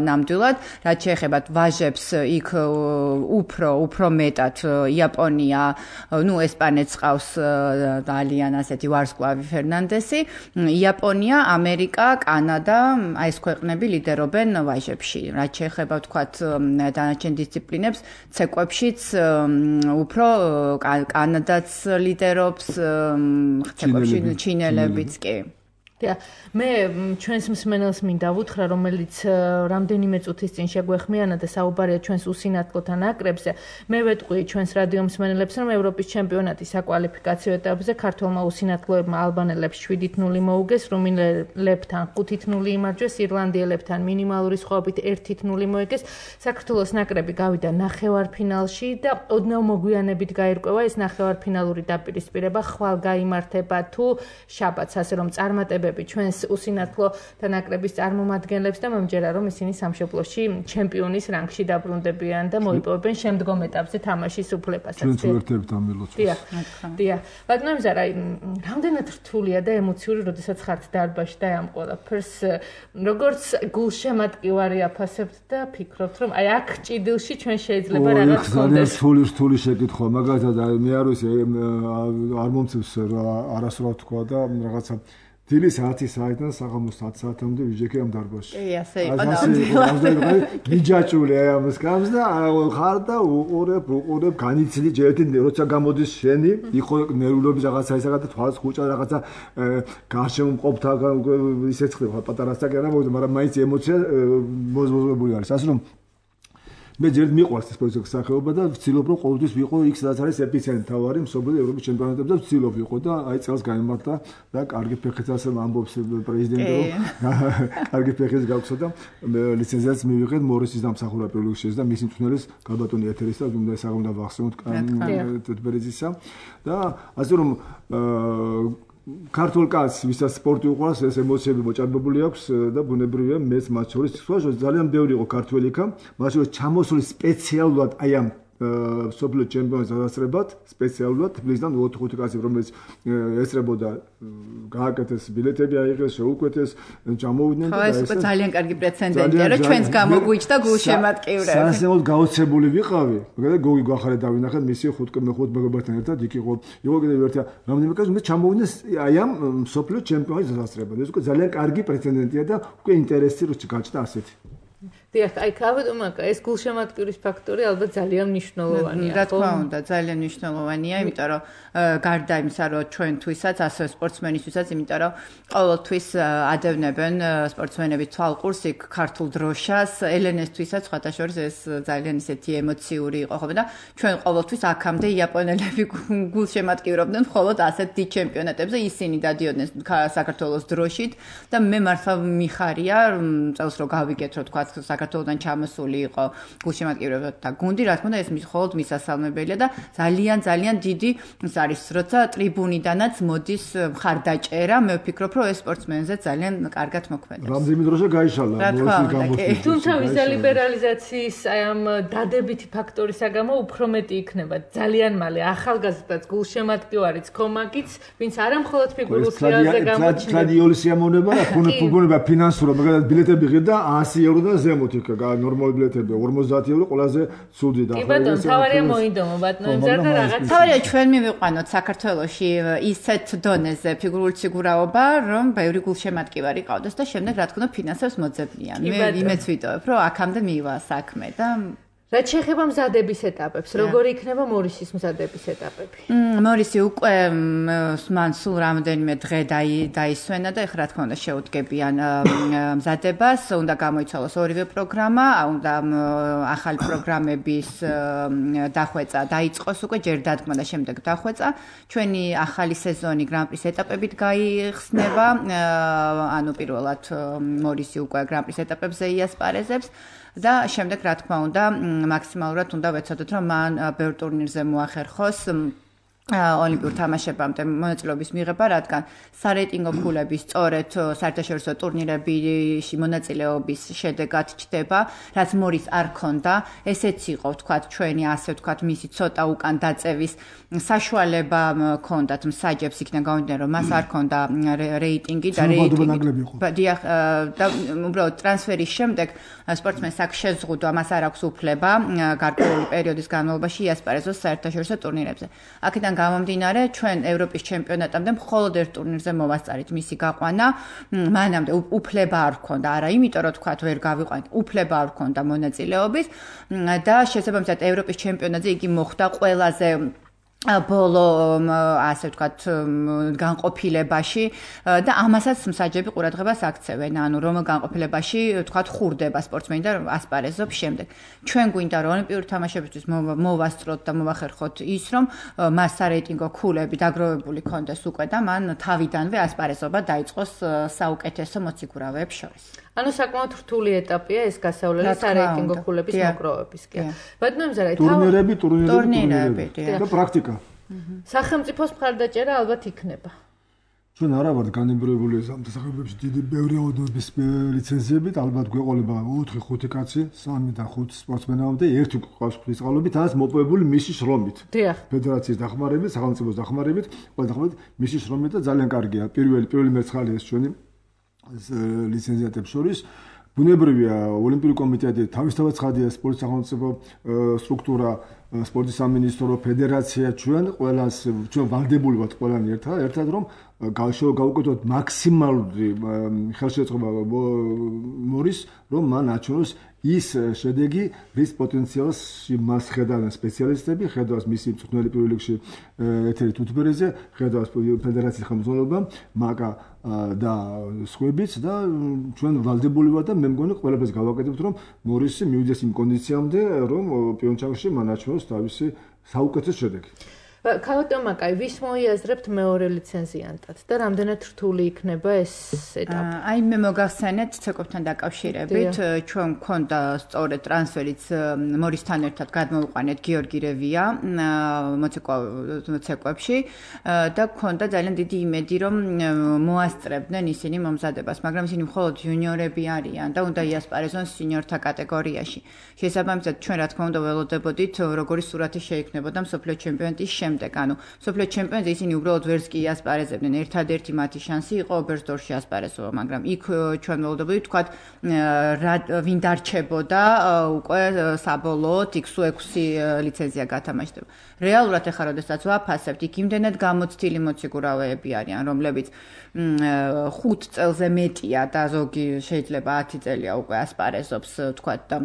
ნამდვილად, რაც შეეხებათ ვაჟებს იქ უფრო მეტად იაპონია, ესპანეთს ყავს ძალიან ასეთი ვარსკვლავი ფერნანდესი, იაპონია, ამერიკა, კანადა, აი ეს ქვეყნები ლიდერობენ ვაჟებში. რაც შეეხება ვთქვათ დანარჩენ დისციპლინებს, ცეკვებშიც უფრო კანადაც ლიდერობს, ცეკვებში ჩინელებიც კი. მე ჩვენს მსმენელს მინდა ვუთხრა, რომელიც რამდენიმე წუთის წინ შეგვეხმიანა და საუბარია ჩვენს უსინათლოთა ნაკრებზე. მე ვეტყვი ჩვენს რადიო მსმენელებს, რომ ევროპის ჩემპიონატის საკვალიფიკაციო ეტაპზე ქართველმა უსინათლოებმა ალბანელებს 7-0 მოუგეს, რუმინელებთან 5-0 იმარჯვეს, ირლანდიელებთან მინიმალური სხვაობით 1-0 მოიგეს. საქართველოს ნაკრები გავიდა ნახევარფინალში და ოდნავ მოგვიანებით გაირკვევა ეს ნახევარფინალური დაპირისპირება ხვალ გაიმართება თუ შაბათს, ასე რომ წარმატებები ჩვენს უსინათლო და ნაკრების წარმომადგენლებს და მომჯერა რომ ისინი სამშობლოში ჩემპიონის რანგში დაბრუნდებიან და მოიპოვებენ შემდგომ ეტაპზე თამაშის უფლებასაც. ჩვენ ვერთებთ ამ ველოცებას. დიახ. ბატონო ზარა, რამდენად რთულია და ემოციური, როდესაც ხართ დარბაზში და ამ ყველაფერს როგორც გულშემატკივარი აფასებთ და ფიქრობთ რომ აი აქ ჭიდილში ჩვენ შეიძლება რაღაც ხონდეს. რთული შეკითხვა, მაგალითად მე არ ვიცი არ მომწევს არასდროს თქვა და რაღაცა დილის 10 საათიდან საღამოს 10 საათამდე ვიჯექი ამ დარბაზში. კი, ასე იყო ნამდვილად. მიჯაჭული აი ამას გამს და ხარ და უყურებ განიცდი ჯერტი როცა გამოდის შენი, იყო ნერვულობის რაღაცა ისაა და თვალს ხუჭა რაღაცა გარშემო მყოფთა ისეც ხდება პატარა ასაკი არა მოვიდა, მაგრამ მაინც ემოცია მოზმოძებული არის. ასე რომ მე ჯერ მიყვარს ეს სპორტის სახეობა და ვცდილობ რომ ყოველთვის ვიყო იქ სადაც არის ეპიცენტრი თავარი მსოფლიო ევროპის ჩემპიონატებზე და ვცდილობ ვიყო და აი წელს გაიმართა და კარგი ფეხით ასე ამბობს პრეზიდენტი რომ კარგი ფეხით გავხსო და ლიცენზიაც მივიღეთ მორისის დამსახურება პირველში და მისი მწვრთნელის გაბატონი ეთერის და უნდა საგუნდა ვახსენოთ თეთბერეზისა და ასე რომ ქართულ კაცს ვისაც სპორტი უყვარს ეს ემოციები მოჭარბებული აქვს და ბუნებრივია მეც მათ შორის ძალიან ბევრი იყო ქართველი იქა მათ შორის ჩამოსული სპეციალურად აი ამ სოფლიო ჩემპიონატის დასწრებად სპეციალურად თბილისიდან 4 კაცი რომელიც ესწრებოდა გააკეთეს ბილეთები აიღეს შეუკვეთეს ჩამოვიდნენ და ეს უკვე ძალიან კარგი პრეცედენტია რომ ჩვენს გამოგვიჩნდა გულშემატკივრები სასწაულად გაოცებული ვიყავი მაგალითად გოგი გვახარე დავინახეთ მისი 5 მეგობართან ერთად იქ იყო კიდევ ერთი რამდენიმე კაცი მე ჩამოვიდნენ აი ამ სოფლიო ჩემპიონატის დასწრებად ეს უკვე ძალიან კარგი პრეცედენტია და უკვე ინტერესი რო გაჩნდა ასეთი დიახ, აი ქავდომაკა ეს გულშემატკივრის ფაქტორი ალბათ ძალიან მნიშვნელოვანია. რა თქმა უნდა, ძალიან მნიშვნელოვანია, იმიტომ რომ გარდა იმისა, რომ ჩვენთვისაც, ასევე სპორტსმენისთვისაც, იმიტომ რომ ყოველთვის ადევნებენ სპორტსმენების თვალყურს იქ ქართულ დროშას, ელენესთვისაც სხვათაშორის ეს ძალიან ისეთი ემოციური იყო ხოლმე და ჩვენ ყოველთვის აქამდე იაპონელები გულშემატკივრობდნენ მხოლოდ ასეთ დიდ ჩემპიონატებზე, ისინი დადიოდნენ საქართველოს დროშით და მე მართლა მიხარია წელს რო გავიგეთ, რომ თქვა საქართველოდან ჩამოსული იყო გულშემატკივრებთა გუნდი, რა თქმა უნდა, ეს მხოლოდ მისასალმებელია და ძალიან დიდი ის არის, როცა ტრიბუნიდანაც მოდის მხარდაჭერა, მე ვფიქრობ, რომ ეს სპორტსმენზე ძალიან კარგად მოქმედებს. რამდენი დროშა გაიშალა, თუმცა ვიზა ლიბერალიზაციის აი ამ დადებითი ფაქტორისა გამო უფრო მეტი იქნება ძალიან მალე ახალგაზრდაც გულშემატკივარიც კომაკიც, ვინც არა მხოლოდ ფიგურულ სფეროზე გამოჩნდება. სტადიონის სიამოვნება და ფუნქციონირება ფინანსურად, მაგალითად ბილეთები ღირდა 100 ევროდან ზემოთ იქ ნორმალური ბილეთები 50 ევრო ყველაზე ცუდი და კი ბატონო, თავარია მოიდომო ბატონო, იმზარ და რაღაც თავარია ჩვენ მივიყვანოთ საქართველოში ისეთ დონეზე ფიგურული სიგურაობა, რომ ბევრი გულშემატკივარი ყავდეს და შემდეგ რა თქმა უნდა ფინანსებს მოძებნიან. მე იმეც ვიტოვებ, რომ აქამდე მივა საქმე და რაც შეეხება მზადების ეტაპებს, როგორი იქნება მორისის მზადების ეტაპები? მორისი უკვე მან სულ რამდენიმე დღე დაისვენა და ეხლა რა თქმა უნდა შეუდგებიან მზადებას, უნდა გამოიცვალოს ორივე პროგრამა, უნდა ახალი პროგრამების დახვეწა დაიწყოს უკვე ჯერ დადგმა და შემდეგ დახვეწა. ჩვენი ახალი სეზონი გრან-პრის ეტაპებით გაიხსნება, ანუ პირველად მორისი უკვე გრან-პრის ეტაპებზე იასპარეზებს. და შემდეგ რა თქმა უნდა მაქსიმალურად უნდა ვეცადოთ რომ მან ბევრ ტურნირზე მოახერხოს ოლიმპიურ თამაშებამდე მონაწილეობის მიღება, რადგან სარეიტინგო ფულები სწორედ საერთაშორისო ტურნირებში მონაწილეობის შედეგად ჩდება, რაც მორის არ ქონდა. ესეც იყო, ვთქვათ, ჩვენი ასე ვთქვათ, მისი ცოტა უკან დაწევის საშუალება ქონდათ მსაჯებს იქიდან გამომდინარე, რომ მას არ ქონდა რეიტინგი და რეიტინგი. და უბრალოდ ტრანსფერის შემდეგ სპორტსმენს აქ შეზღუდვა, მას არ აქვს უფლება გარკვეული პერიოდის განმავლობაში იასპარეზოს საერთაშორისო ტურნირებზე. აქედან გამომდინარე, ჩვენ ევროპის ჩემპიონატამდე მხოლოდ ერთ ტურნირზე მოვასწარით მისი გაყვანა. მანამდე უფლება არ ჰქონდა, არა იმიტომ რომ თქვათ ვერ გავიყვანით, უფლება არ ჰქონდა მონაწილეობის და შესაბამისად ევროპის ჩემპიონატზე იგი მოხვდა ყველაზე ბოლო ასე ვთქვათ განყოფილებაში და ამასაც მსაჯები ყურადღებას აქცევენ, ანუ რომ განყოფილებაში ვთქვათ ხურდება სპორტსმენი და ასპარეზობს შემდეგ. ჩვენ გვინდა რომ ოლიმპიური თამაშებისთვის მოვასწროთ და მოვახერხოთ ის, რომ მას სარეიტინგო ქულები დაგროვებული ქონდეს უკვე და მან თავიდანვე ასპარეზობა დაიწყოს საუკეთესო მოციქურავეებს შორის. ანუ საკმაოდ რთული ეტაპია ეს გასავლელი სარეიტინგო ქულების მოგროვებისკენ. ბატონო მზარაი, ტურნირები და პრაქტიკა. სახელმწიფოს მხარდაჭერა ალბათ იქნება. ჩვენ არა ვართ განებრივებული ამ დასახლებებში დიდი ბევრი ოდნობის ლიცენზიებით, ალბათ გვეყოლება 4-5 კაცი, 3-5 სპორტსმენამდე, ერთი ყავს ღვთისყალობით, ამას მოპოვებული მისი შრომით. ფედერაციის დახმარებით, სახელმწიფოს დახმარებით, ყველა დახმარებით, მისი შრომით და ძალიან კარგია. პირველი მერცხალია ეს ჩვენი ლიცენზიატებს შორის. ბუნებრივია, ოლიმპიური კომიტეტი თავისთავად ცხადია, სპორტის სახელმწიფო სტრუქტურა, სპორტის სამინისტრო, ფედერაცია, ჩვენ ვალდებული ვართ ყველანი ერთად რომ გავუკეთოთ მაქსიმალური ხელშეწყობა მორის, რომ მან აჩვენოს ის შედეგი, რის პოტენციალს მას ხედავენ სპეციალისტები, ხედავს მისი მწვრთნელი პირველ რიგში ეთერი თუთბერეზე, ხედავს ფედერაციის ხელმძღვანელობა, მაკა და სხვაებიც და ჩვენ ვალდებული ვართ და მე მგონი ყველაფერს გავაკეთებთ, რომ მორისი მივიდეს იმ კონდიციამდე, რომ პიონჩანგში მან აჩვენოს თავისი საუკეთესო შედეგი. ქალატომაკაი ვის მოიაზრებთ მეორე ლიცენზიანტად და რამდენად რთული იქნება ეს ეტაპი? აი მე მოგახსენეთ ცეკვებთან დაკავშირებით ჩვენ გვქონდა სწორედ ტრანსფერიც მორისთან ერთად გადმოვიყვანეთ გიორგი რევია მოცეკვებში და გვქონდა ძალიან დიდი იმედი რომ მოასწრებდნენ ისინი მომზადებას, მაგრამ ისინი მხოლოდ იუნიორები არიან და უნდა იასპარეზონ სინიორთა კატეგორიაში. შესაბამისად ჩვენ რა თქმა უნდა ველოდებოდით როგორი სურათი შეიქმნებოდა მსოფლიო ჩემპიონატის შემდეგ. ანუ მსოფლიო ჩემპიონატზე ისინი უბრალოდ ვერც კი იასპარეზებდნენ. ერთადერთი მათი შანსი იყო ობერსდორფში ასპარეზობა, მაგრამ იქ ჩვენ ველოდებოდით თქვათ ვინ დარჩებოდა უკვე საბოლოოდ X6 ლიცენზია გათამაშდება. რეალურად ეხლა როდესაც ვაფასებთ, იქ იმდენად გამოცდილი მოციგურავეები არიან, რომლებიც 5 წელზე მეტია და ზოგი შეიძლება 10 წელია უკვე ასპარეზობს, თქვათ და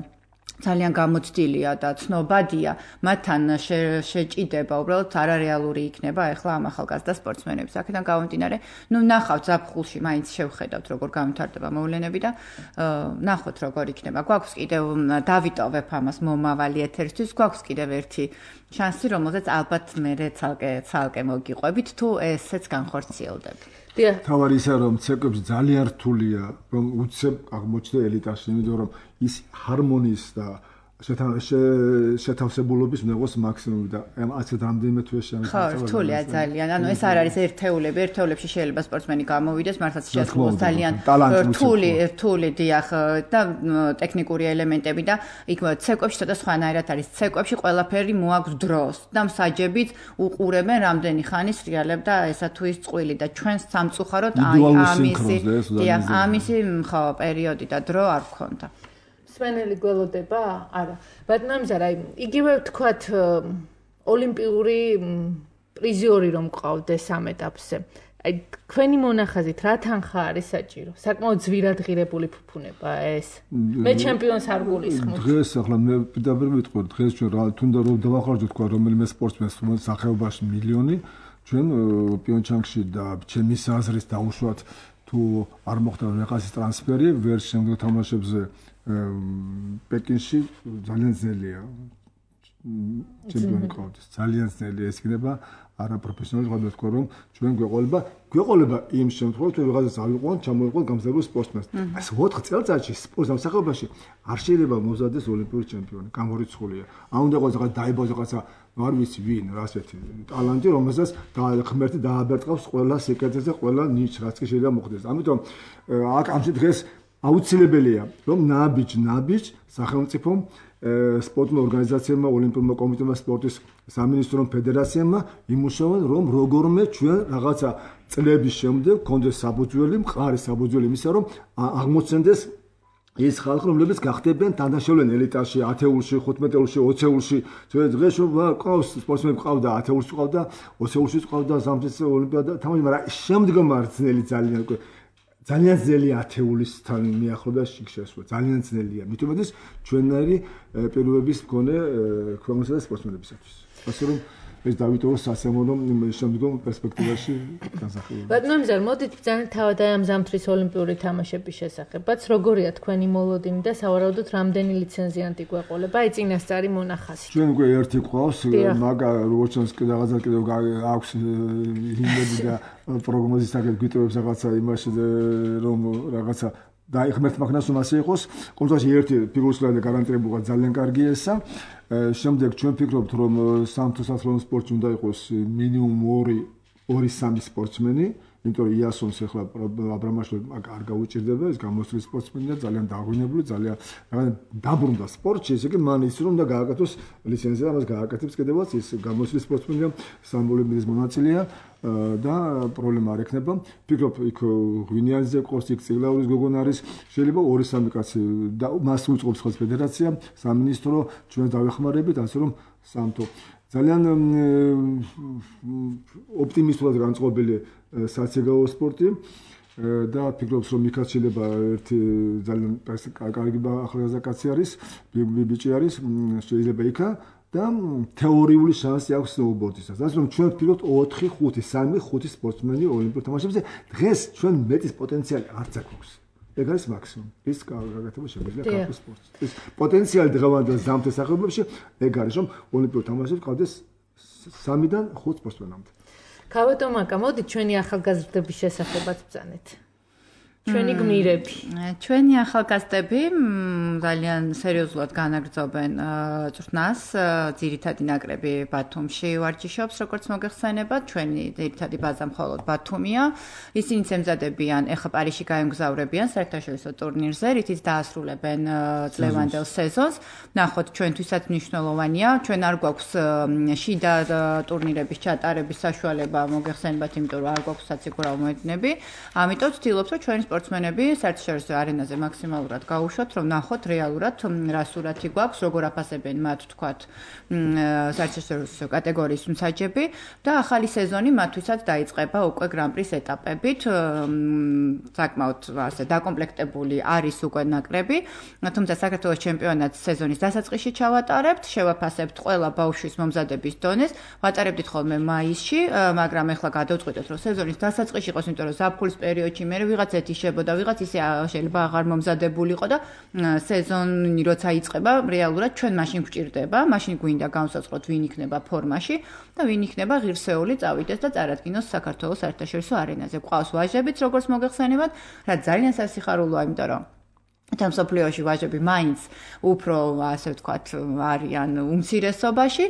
ძალიან გამოცდილია და ცნობადია, მათთან შეჭიდება უბრალოდ არარეალური იქნება ახლა ამ ახალგაზრდა სპორტსმენების. აქედან გამომდინარე, ნახავთ ზაფხულში მაინც შევხედავთ როგორ გამართარდება მოვლენები და ნახოთ როგორ იქნება. გვაქვს კიდევ დავიტოვებ ამას მომავალი ეთერისთვის, გვაქვს კიდევ ერთი შანსი, რომელზეც ალბათ მე ცალკე მოგიყვებით თუ ესეც განხორციელდება. თავარი ისაა რომ ცეკვებში ძალიან რთულია რომ უცებ აღმოჩნდა ელიტაში, იმიტომ რომ ის ჰარმონიის და შეთავსებულობის ნეგოს მაქსიმუმი და ასეთ რამდენიმე თვეში ამის ხო, რთულია ძალიან. ანუ ეს არ არის ერთეულები, ერთეულებში შეიძლება სპორტსმენი გამოვიდეს, მართლაც შეასრულოს ძალიან რთული დიახ და ტექნიკური ელემენტები და იქ ცეკვებში ცოტა სხვანაირად არის. ცეკვებში ყველაფერი მოაქვს დროს და მსაჯებით უყურებენ რამდენი ხანი სრიალებ და ესა თუ ის წყვილი და ჩვენ სამწუხაროდ ამისი ხო პერიოდი და დრო არ გქონდა. სვენელი გველოდება? არა. ბატონამზარ, აი, იგივე ვთქვათ ოლიმპიური პრიზიორი რომ გყავდეს ამ ეტაპზე. აი, თქვენი მონახაზით რა თანხა არის საჭირო? საკმაოდ ძვირადღირებული ფუფუნება ეს. მე ჩემპიონს არ გულისხმობ. დღეს ახლა მე პირდაპირ ვიტყვი, დღეს ჩვენ რა თუნდა რომ დავახარჯოთ თქვა რომელიმე სპორტსმენს სახეობაში მილიონი, ჩვენ პიონჩანგში და ჩემის აზრის დაუშვათ თუ არ მოხდა რაღაცის ტრანსფერი, ვერ შემდგომ თამაშებზე პეკინში ძალიან ძნელია ჩემპიონი ყავდეს. ძალიან ძნელია ეს იქნება არაპროფესიონალი ვთქვა თქვა რომ ჩვენ გვეყოლება იმ შემთხვევაში თუ რაღაცას ავიყვან, ჩამოიყვან გამზარდულ სპორტსმენს. ასე 4 წელიწადში სპორტს ამსახურებაში არ შეიძლება მომზადდეს ოლიმპიური ჩემპიონი, გამორიცხულია. არ უნდა იყოს რაღაც დაიბოს რაღაცა არ ვიცი ვინ, რასეთი ტალანტი, რომელსაც ღმერთი დააბერწყავს ყველა სიკეთეზე, ყველა ნიჩ რაც კი შეიძლება მოხდეს. ამიტომ აქ ამ დღეს აუცილებელია რომ ნაბიჯ სახელმწიფომ სპორტულ ორგანიზაციებმა, ოლიმპიურმა კომიტეტმა, სპორტის სამინისტრომ, ფედერაციებმა იმუშავონ რომ როგორმე ჩვენ რაღაცა წლების შემდეგ გქონდეს საბუძველი, მყარი საბუძველი იმისა რომ აღმოცენდეს ის ხალხი, რომლებიც გახდებიან თამაშობენ ელიტაში, 10-ულში, 15-ულში, 20-ულში. დღეს ყავს სპორტსმენები ყავდა 10-ულში ყავდა, 20-ულში ყავდა ზამთრის ოლიმპიადა თამაში, მაგრამ შემდგომ არ ძნელი ძალიან ძნელია 10-ულისთან მიახლოებას შეშვა. ძალიან ძნელია. მithumedes ჩვენნაირი პირობების მქონე ქვეყნისა და სპორტსმენებისათვის. ასე რომ ეს დავიტოვოს სასიამოვნო შემდგომ პერსპექტივაში განსახილველი. ბატონამზარ, მოდით ბრძანეთ თავად ამ ზამთრის ოლიმპიური თამაშების შესახებაც. როგორია თქვენი მოლოდინი და სავარაუდოდ რამდენი ლიცენზიანტი გვეყოლება? აი წინასწარი მონახაზი. ჩვენ უკვე ერთი ყავს, მაგა როგორც ჩანს რაღაცა კიდევ აქვს იმედი და პროგნოზის საკეთ გვიტოვებს რაღაცა იმაში რომ რაღაცა და ღმერთმა ხნას რომ ასე იყოს. კონტრაში ერთი ფიგურისგან გარანტირებულად ძალიან კარგი ესა. შემდეგ ჩვენ ფიქრობთ რომ სამთო-სასწავლო სპორტში უნდა იყოს მინიმუმ 2-3 სპორტსმენი, იმიტომ რომ იასონს ახლა აბრამაშვილი არ გაუჭირდება, ეს გამოსწრილი სპორტსმენია, ძალიან დაგვინებული, ძალიან დაბრუნდა სპორტში, ესე იგი მან ის რომ და გააკეთოს ლიცენზია, ამას გააკეთებს კიდევაც ის გამოსწრილი სპორტსმენია, სამოლიმპიის მონაწილეა და პრობლემა არ ექნება. ფიქრობ იქ ღვინიანზე ყავს, იქ წიგლაურის გოგონა არის, შეიძლება 2-3 კაცი და მას უწყობს ხოლმე ფედერაცია, სამინისტრო, ჩვენ დავეხმარებით, ასე რომ სამთო ძალიან ოპტიმისტურად განწყობილი საციგაო სპორტი და ფიქრობს რომ იქაც შეიძლება ერთი ძალიან კარგი ახალგაზრდა კაცი არის, ბიჭი არის, შეიძლება იქა და თეორიული შანსი აქვს სნოუბორდისას. ასე რომ ჩვენ ვფიქრობთ 4-5 სპორტსმენი ოლიმპიურ თამაშებზე. დღეს ჩვენ მეტის პოტენციალი არც აქვს. ეგ არის მაქსიმუმი. ის გაკეთება შეგვიძლია ქართულ სპორტს. ეს პოტენციალი დღევანდელ ზამთრის სახეობებში ეგ არის რომ ოლიმპიურ თამაშებში ყავდეს 3-დან 5 სპორტსმენამდე. გავატო მაკა, მოდით ჩვენი ახალგაზრდების შესახებაც ბრძანეთ. ჩვენი გმირები. ჩვენი ახალგაზრდები ძალიან სერიოზულად განაგრძობენ წვრთნას. ძირითადი ნაკრები ბათუმში ვარჯიშობს, როგორც მოგეხსენებათ. ჩვენი ძირითადი ბაზა მხოლოდ ბათუმია. ისინი ემზადებიან, ეხლა პარიზში გაემგზავრებიან საერთაშორისო ტურნირზე, რითიც დაასრულებენ წლევანდელ სეზონს. ნახოთ, ჩვენთვისაც მნიშვნელოვანია. ჩვენ არ გვაქვს შიდა ტურნირების ჩატარების საშუალება, მოგეხსენებათ, იმიტომ რომ არ გვაქვს საციგურაო მოედნები. ამიტომ ვცდილობთ, რომ ჩვენი სპორტსმენები საერთაშორისო არენაზე მაქსიმალურად გაუშვათ, რომ ნახოთ რეალურად რა სურათი გვაქვს, როგორ აფასებენ მათ, თქვათ, საერთაშორისო კატეგორიის მსაჯები და ახალი სეზონი მათთვისაც დაიწყება უკვე გრან-პრის ეტაპებით. საკმაოდ ასე დაკომპლექტებული არის უკვე ნაკრები, თუმცა საქართველოს ჩემპიონატს სეზონის დასაწყისში ჩავატარებთ, შევაფასებთ ყველა ბავშვის მომზადების დონეს, ვატარებდით ხოლმე მაისში, მაგრამ ეხლა გადავწყვიტეთ, რომ სეზონის დასაწყისში იყოს, იმიტომ რომ ზაფხულის პერიოდში მე ვიღაც ეთიშებოდა, ვიღაც ისე შეიძლება აღარ მომზადებულიყო და სეზონი როცა იწყება, რეალურად ჩვენ მაშინ გვჭირდება, მაშინ გვინდა განსაწყოთ ვინ იქნება ფორმაში და ვინ იქნება ღირსეული წავიდეს და წარადგინოს საქართველოს საერთაშორისო არენაზე. გვყავს ვაჟებიც, როგორც მოგეხსენებათ, რაც ძალიან სასიხარულოა, იმიტომ რომ თამსოფლიოში ვაჟები მაინც უფრო ასე ვთქვათ არიან უმცირესობაში.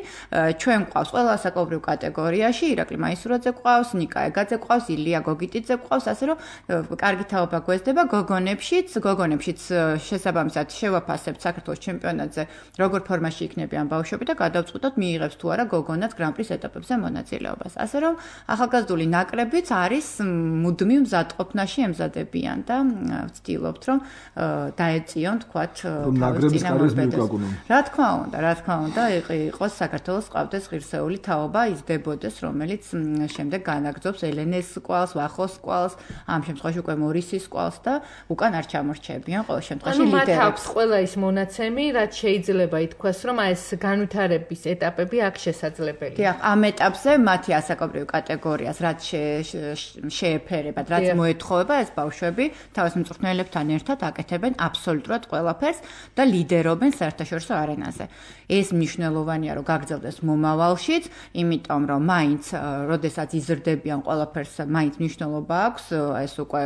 ჩვენ გვყავს ყველა საკოლმეურნეო კატეგორიაში, ირაკლი მაისურაძე გვყავს, ნიკა ეგაძე გვყავს, ილია გოგიტიძე გვყავს, ასე რომ კარგი თაობა გვესდება გოგონებშიც შესაბამისად შევაფასებთ საქართველოს ჩემპიონატზე, როგორ ფორმაში იქნებიან ბავშვები და გადავწყვიტოთ მიიღებს თუ არა გოგონაც გრან-პრის ეტაპებზე მონაწილეობას. ასე რომ ახალგაზრდული ნაკრებიც არის მუდმივ მზადყოფნაში ემზადებიან და ვცდილობთ რომ დაეწიონ თქვათ ნაკრების კარიერას მიუკაკუნონ. რა თქმა უნდა, იყოს საქართველოს ყავდეს ღირსეული თაობა, იზრდებოდეს, რომელიც შემდეგ განაგრძობს ელენეს კვალს, ვახოს კვალს, ამ შემთხვევაში უკვე მორისის კვალს და უკან არ ჩამორჩებიან ყოველ შემთხვევაში ლიდერებს. მათ აქვს ყველა ის მონაცემი, რაც შეიძლება ითქვას, რომ ეს განვითარების ეტაპები აქ შესაძლებელია. დიახ, ამ ეტაპზე მათი ასაკობრივ კატეგორიას რაც შეეფერებათ, რაც მოეთხოვება ეს ბავშვები თავის მწვრთნელებთან ერთად აკეთებენ აბსოლუტურად ყველაფერს და ლიდერობენ საერთაშორისო არენაზე. ეს მნიშვნელოვანია, რომ გაგრძელდეს მომავალშიც, იმიტომ რომ მაინც, როდესაც იზრდებიან ყველაფერს, მაინც მნიშვნელობა აქვს, ეს უკვე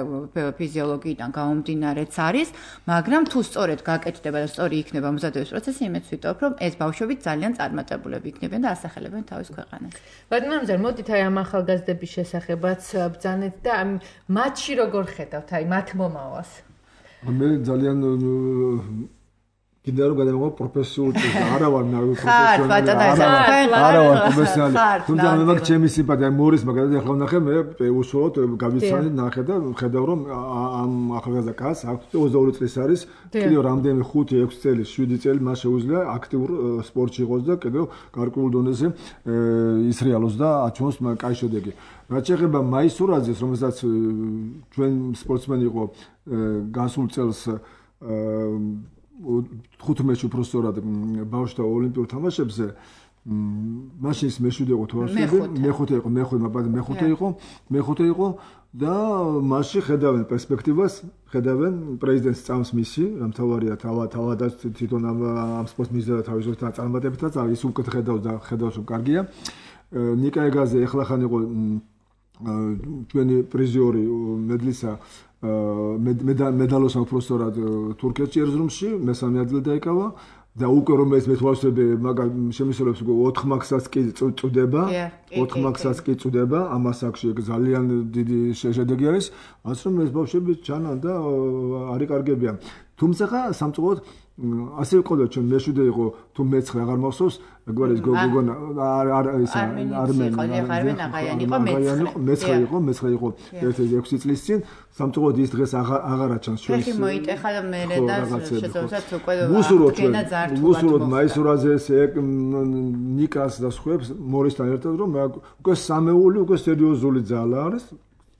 ფიზიოლოგიიდან გამომდინარეც არის, მაგრამ თუ სწორედ გაკეთდება და სწორი იქნება მომზადების პროცესი, იმედს ვიტოვებ, რომ ეს ბავშვები ძალიან წარმატებულები იქნებიან და ასახელებენ თავის ქვეყანას. ბატონო, მოდით აი ამ ახალგაზრდების შესახებაც ბრძანეთ და მათში როგორ ხედავთ აი მათ მომავალს? მე ძალიან კიდევ რომ გადავიღო პროფესიულ წესს, არა ვარ პროფესიონალი, არა ვარ პროფესიონალი. თუმცა მე მაგ ჩემი სიმპათია მორის მაგალითად ახლა ვნახე, მე უშუალოდ გავიცანი ნახე და ხედავ რომ ამ ახალგაზრდა კაცს აქვს 22 წლის არის, კიდევ რამდენი 5-6 წელი, 7 წელი მას შეუძლია აქტიურ სპორტში იყოს და კიდევ გარკვეულ დონეზე ისრიალოს და აჩვენოს კაი შედეგი. რაც შეეხება მაისურაძეს, რომელსაც ჩვენ სპორტსმენი იყო გასულ წელს 15-ში უბრალოდ ბავშვთა ოლიმპიურ თამაშებზე მაშინ ის მეშვიდე იყო თუ არ ვცდები, მეხუთე იყო და მასში ხედავენ პერსპექტივას, ხედავენ პრეზიდენტს წამს მისი, რა მთავარია თავადაც თვითონ ამ სპორტს მიზერა თავისუფლად წარმატებითაც არის, ის უკეთ ხედავს რომ კარგია. ნიკა ეგაზე ეხლახან იყო ჩვენი პრიზიორი მედლისა მედალოს უბრალოდ თურქეთში ერზრუმში მესამე ადგილი დაიკავა და უკვე რომ ეს მეთვალსები შემისულებს 4 მაქსას კი წუდება 4 მაქსას კი წუდება ამას აქვს ძალიან დიდი შედეგი არის ასე რომ ეს ბავშვები ჩანან და არიკარგებიან თუმცა სამწუხაროდ ასე ყოდა ჩვენ მეშვიდე იყო თუ მეცხრე აღარ მახსოვს მეგონა გოგონა მეცხრე იყო 1-6 წლის წინ სამწუხაროდ ის დღეს აღარა ჩანს ჩვენს ხელი მოიტეხა და მე და შესაძლოა უკვე ვუსუროთ მაისურაძეს ნიკას და სხვებს მორისთან ერთად რომ უკვე სამეული უკვე სერიოზული ძალა არის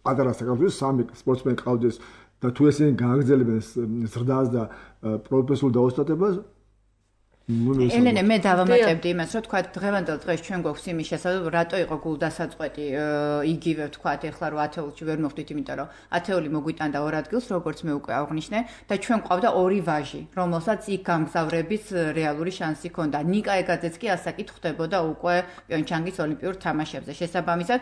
პატარა საქართველოს 3 სპორტსმენი ყავდეს და თუ ესენი გააგრძელებენ ზრდას და პროფესიულ დაოსტატებას ელენე მე დავამატებდი იმას, რომ თქვა დღევანდელ დღეს ჩვენ გვაქვს იმის შესაძლებლობა, რატო იყო გულდასაწყვეტი იგივე თქვა ეხლა რომ ათეულში ვერ მოხვდით, იმიტომ რომ ათეული მოგვიტანდა ორ ადგილს, როგორც მე უკვე აღნიშნე და ჩვენ ყავდა ორი ვაჟი, რომელსაც იქ გამგზავრების რეალური შანსი ჰქონდა. ნიკა ეგაძეც კი ასაკით ხვდებოდა უკვე პიონჩანგის ოლიმპიურ თამაშებზე. შესაბამისად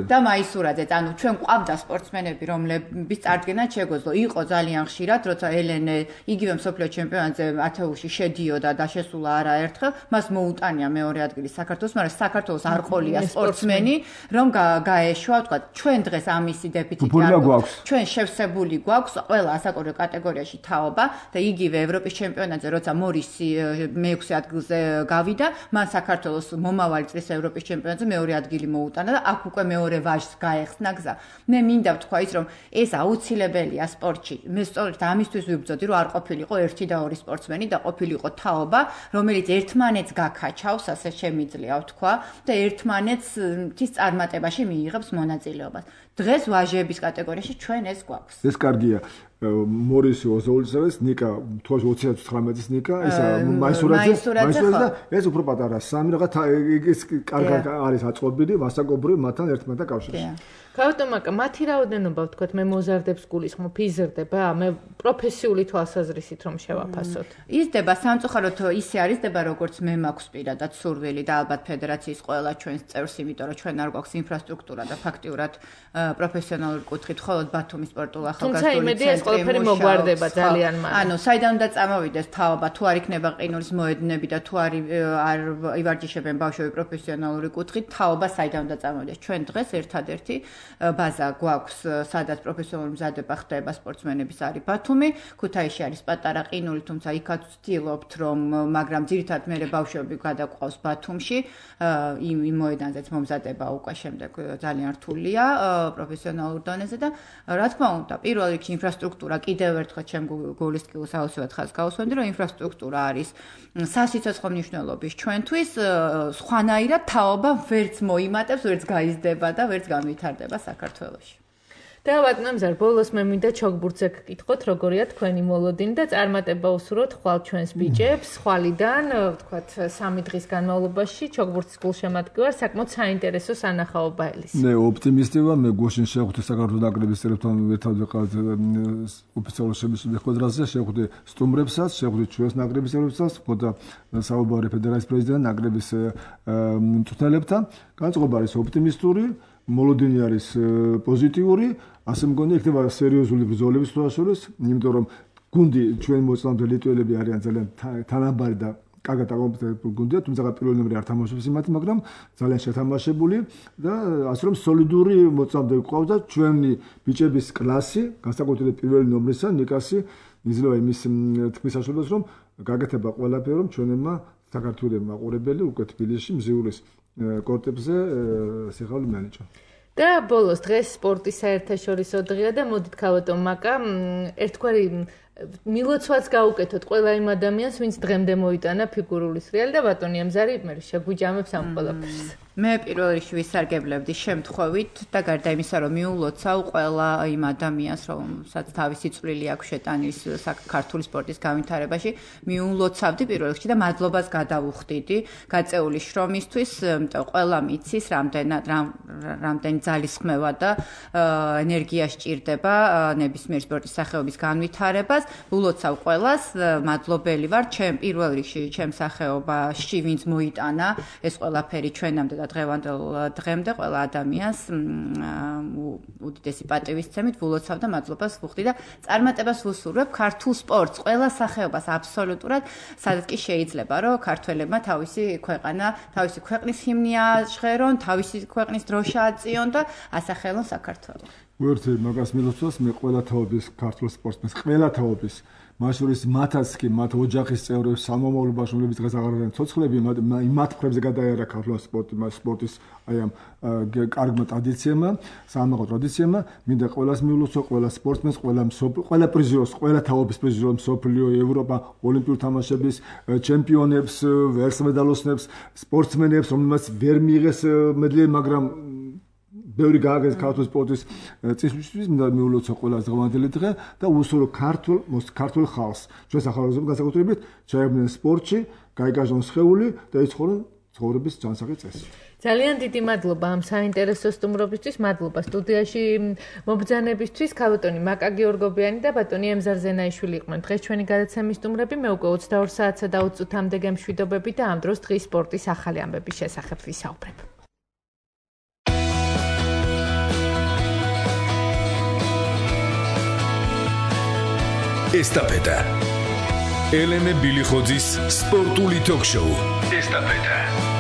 და მაისურაძე, ანუ ჩვენ ყავდა სპორტსმენები, რომლების წარდგენა შეგვეძლო. იყო ძალიან ხშირად, როცა ელენე იგივე მსოფლიო ჩემპიონატზე ათეულში შედიოდა და შესულა არაერთხელ, მას მოუტანია მეორე ადგილი საქართველოს, მაგრამ საქართველოს არ ყოლია სპორტსმენი, რომ გაეშვა, თქვა, ჩვენ დღეს ამისი დეფიციტი არ გვაქვს. ჩვენ შევსებული გვაქვს ყველა ასაკობრივ კატეგორიაში თაობა და იგივე ევროპის ჩემპიონატზე, როცა მორისი მე-6 ადგილზე გავიდა, მან საქართველოს მომავალი წლის ევროპის ჩემპიონატზე მეორე ადგილი მოუტანა და აქ უკვე მეორე ვაჟს გაეხსნა გზა. მე მინდა ვთქვა ის, რომ ეს აუცილებელია სპორტში. მე სწორედ ამისთვის ვიბრძოდი, რომ არ ყოფილიყო 1 და 2 სპორტსმენი და ყოფილიყო თაობა, რომელიც ერთმანეთს გაქაჩავს, ასე შემიძლია ვთქვა და ერთმანეთს თის წარმატებაში მიიღებს მონაწილეობას. დღეს ვაჟების კატეგორიაში ჩვენ ეს გვაქვს. ეს კარგია. მორისი ოზოულისავის ნიკა 2019-ის ნიკა ისა მაისურაძე და ეს უფრო პატარა სამი რაღაც ის კარგად არის აწყობილი მასაკობრივ მათთან ერთმანეთთან კავშირში. გავტომაკა მათი რაოდენობა ვთქვათ მე მოზარდებს გულისხმობ იზრდება მე პროფესიული თვალსაზრისით რომ შევაფასოთ. იზრდება სამწუხაროდ ისე არიზრდება როგორც მე მაქვს პირადად სურვილი და ალბათ ფედერაციის ყველა ჩვენს წევრს, იმიტომ რომ ჩვენ არ გვაქვს ინფრასტრუქტურა და ფაქტიურად პროფესიონალური კუთხით მხოლოდ ბათუმის სპორტულ ახალგაზრდული ცენტრი ყველაფერი მოგვარდება ძალიან მალე. ანუ საიდან უნდა წამოვიდეს თაობა, თუ არ იქნება ყინულის მოედნები და თუ არ ივარჯიშებენ ბავშვები პროფესიონალური კუთხით, თაობა საიდან უნდა წამოვიდეს. ჩვენ დღეს ერთადერთი ბაზა გვაქვს, სადაც პროფესიონალური მზადება ხდება სპორტსმენების არის ბათუმი, ქუთაისში არის პატარა ყინული, თუმცა იქაც ვცდილობთ რომ, მაგრამ ძირითადად მე ბავშვები გადაყვავს ბათუმში, იმ მოედანზეც მომზადება უკვე შემდეგ ძალიან რთულია პროფესიონალურ დონეზე და რა თქმა უნდა, პირველ რიგში ინფრასტრუქტურა კიდევ ერთხელ ჩემ გულისწყვილს აუცილებლად ხაზს გავუსვენდი, რომ ინფრასტრუქტურა არის სასიცოცხლო მნიშვნელობის ჩვენთვის, სხვანაირად თაობა ვერც მოიმატებს, ვერც გაიზრდება და ვერც განვითარდება საქართველოში. და ბატონო ბოლოს მე მინდა ჩოგბურთზე გკითხოთ, როგორია თქვენი მოლოდინი და წარმატება უსურვოთ ხვალ ჩვენს ბიჭებს, ხვალიდან, ვთქვათ, 3 დღის განმავლობაში ჩოგბურთის გულშემატკივარ საკმაოდ საინტერესო სანახაობა ელის. მე ოპტიმისტი ვარ, მე გუშინ შევხვდი საქართველოს ნაკრების წევრებთან ერთად ვიყავით ოფიციალურ შეხვედრაზე, შევხვდი სტუმრებსაც, შევხვდი ჩვენს ნაკრების წევრებსაც, ხოდა საუბარი ფედერაციის პრეზიდენტთან, ნაკრების მწვრთნელებთან. განწყობა არის ოპტიმისტური, მოლოდინი არის პოზიტიური, ასე მგონია იქნება სერიოზული ბრძოლები თვალსაჩინოს, იმიტომ რომ გუნდი ჩვენ მოწინააღმდეგე ლიტველები არიან ძალიან თანაბარი და კარგად აკომპლექტებული გუნდია, თუმცა პირველ ნომერი არ თამაშობს იმათი, მაგრამ ძალიან შეთამაშებული და ასე რომ სოლიდური მოწინააღმდეგე ყავდა ჩვენი ბიჭების კლასი, განსაკუთრებით პირველი ნომრისა, ნიკასი, იძლევა იმის თქმის საშუალებას, რომ გაგეთება ყველაფერი, რომ ჩვენებმა საქართველოს მაყურებელი უკვე თბილისში მზიურის კორტებზე სიხალე მიანიჭა. და ბოლოს დღეს სპორტის საერთაშორისო დღეა და მოდით ქალბატონ მაკა ერთგვარი მილოცვაც გაუკეთოთ ყველა იმ ადამიანს, ვინც დღემდე მოიტანა ფიგურული სრიალი და ბატონი ამზარი მე შეგვიჯამებს ამ ყველაფერს. მე პირველ რიგში ვისარგებლებდი შემთხვევით და გარდა იმისა, რომ მიულოცავ ყველა იმ ადამიანს, რომელსაც თავისი წვლილი აქვს შეტანის ქართული სპორტის განვითარებაში, მიულოცავდი პირველ რიგში და მადლობას გადავუხდიდი გაწეული შრომისთვის, იმიტომ ყველა მიცის რამდენი ძალისხმევა და ენერგია სჭირდება ნებისმიერ სპორტის სახეობის განვითარებას. ულოცავ ყველას, მადლობელი ვარ ჩემ პირველ რიგში ჩემ სახეობაში, ვინც მოიტანა ეს ყველაფერი ჩვენამდე და დღევანდელ დღემდე ყველა ადამიანს უდიდესი პატივისცემით ულოცავ და მადლობას ვუხდი და წარმატებას ვუსურვებ ქართულ სპორტს, ყველა სახეობას აბსოლუტურად, სადაც კი შეიძლება, რომ ქართველებმა თავისი ქვეყანა, თავისი ქვეყნის ჰიმნი აჟღერონ, თავისი ქვეყნის დროშა აწიონ და ასახელონ საქართველოს. ვერთი მაგას მილოცავს მე ყველა თაობის ქართულ სპორტსმენს, ყველა თაობის მათ შორის მათაც კი მათ ოჯახის წევრებს სამომავლო ბავშვების დღეს აღარ არიან ცოცხლები, მათ მხრებზე გადაიარა ქართული სპორტის აი ამ კარგმა ტრადიციებმა, სამაღო ტრადიციებმა, მინდა ყველას მიულოცო, ყველა სპორტსმენს, ყველა პრიზიორს, ყველა თაობის პრიზიორს, მსოფლიო, ევროპა, ოლიმპიურ თამაშების ჩემპიონებს, ვერცხლ მედალოსნებს, სპორტსმენებს, რომელმაც ვერ მიიღეს მედლი, მაგრამ ბევრი გააგეს ქართულ სპორტის წესრიგისთვის, მინდა მიულოცო ყველა დღევანდელი დღე და უსურო ქართულ ხალხს. ჩვენ სახალხო განსაკუთრებით ჩაებდნენ სპორტში, გაიგაჟონ სხეული და იცხოვრონ ცხოვრების ჯანსაღი წესი. ძალიან დიდი მადლობა ამ საინტერესო სტუმრობისთვის, მადლობა სტუდიაში მობრძანებისთვის. ქალბატონი მაკა გიორგობიანი და ბატონი ემზარ ზენაიშვილი იყვნენ დღეს ჩვენი გადაცემის სტუმრები. მე უკვე 22 საათსა და 20 წუთამდე გემშვიდობები და ამ დროს დღის სპორტის ახალი ამბების შესახებ ვისაუბრებ. ესტაფეტა. ელენე ბილიხოძის სპორტული ток-შოუ. ესტაფეტა.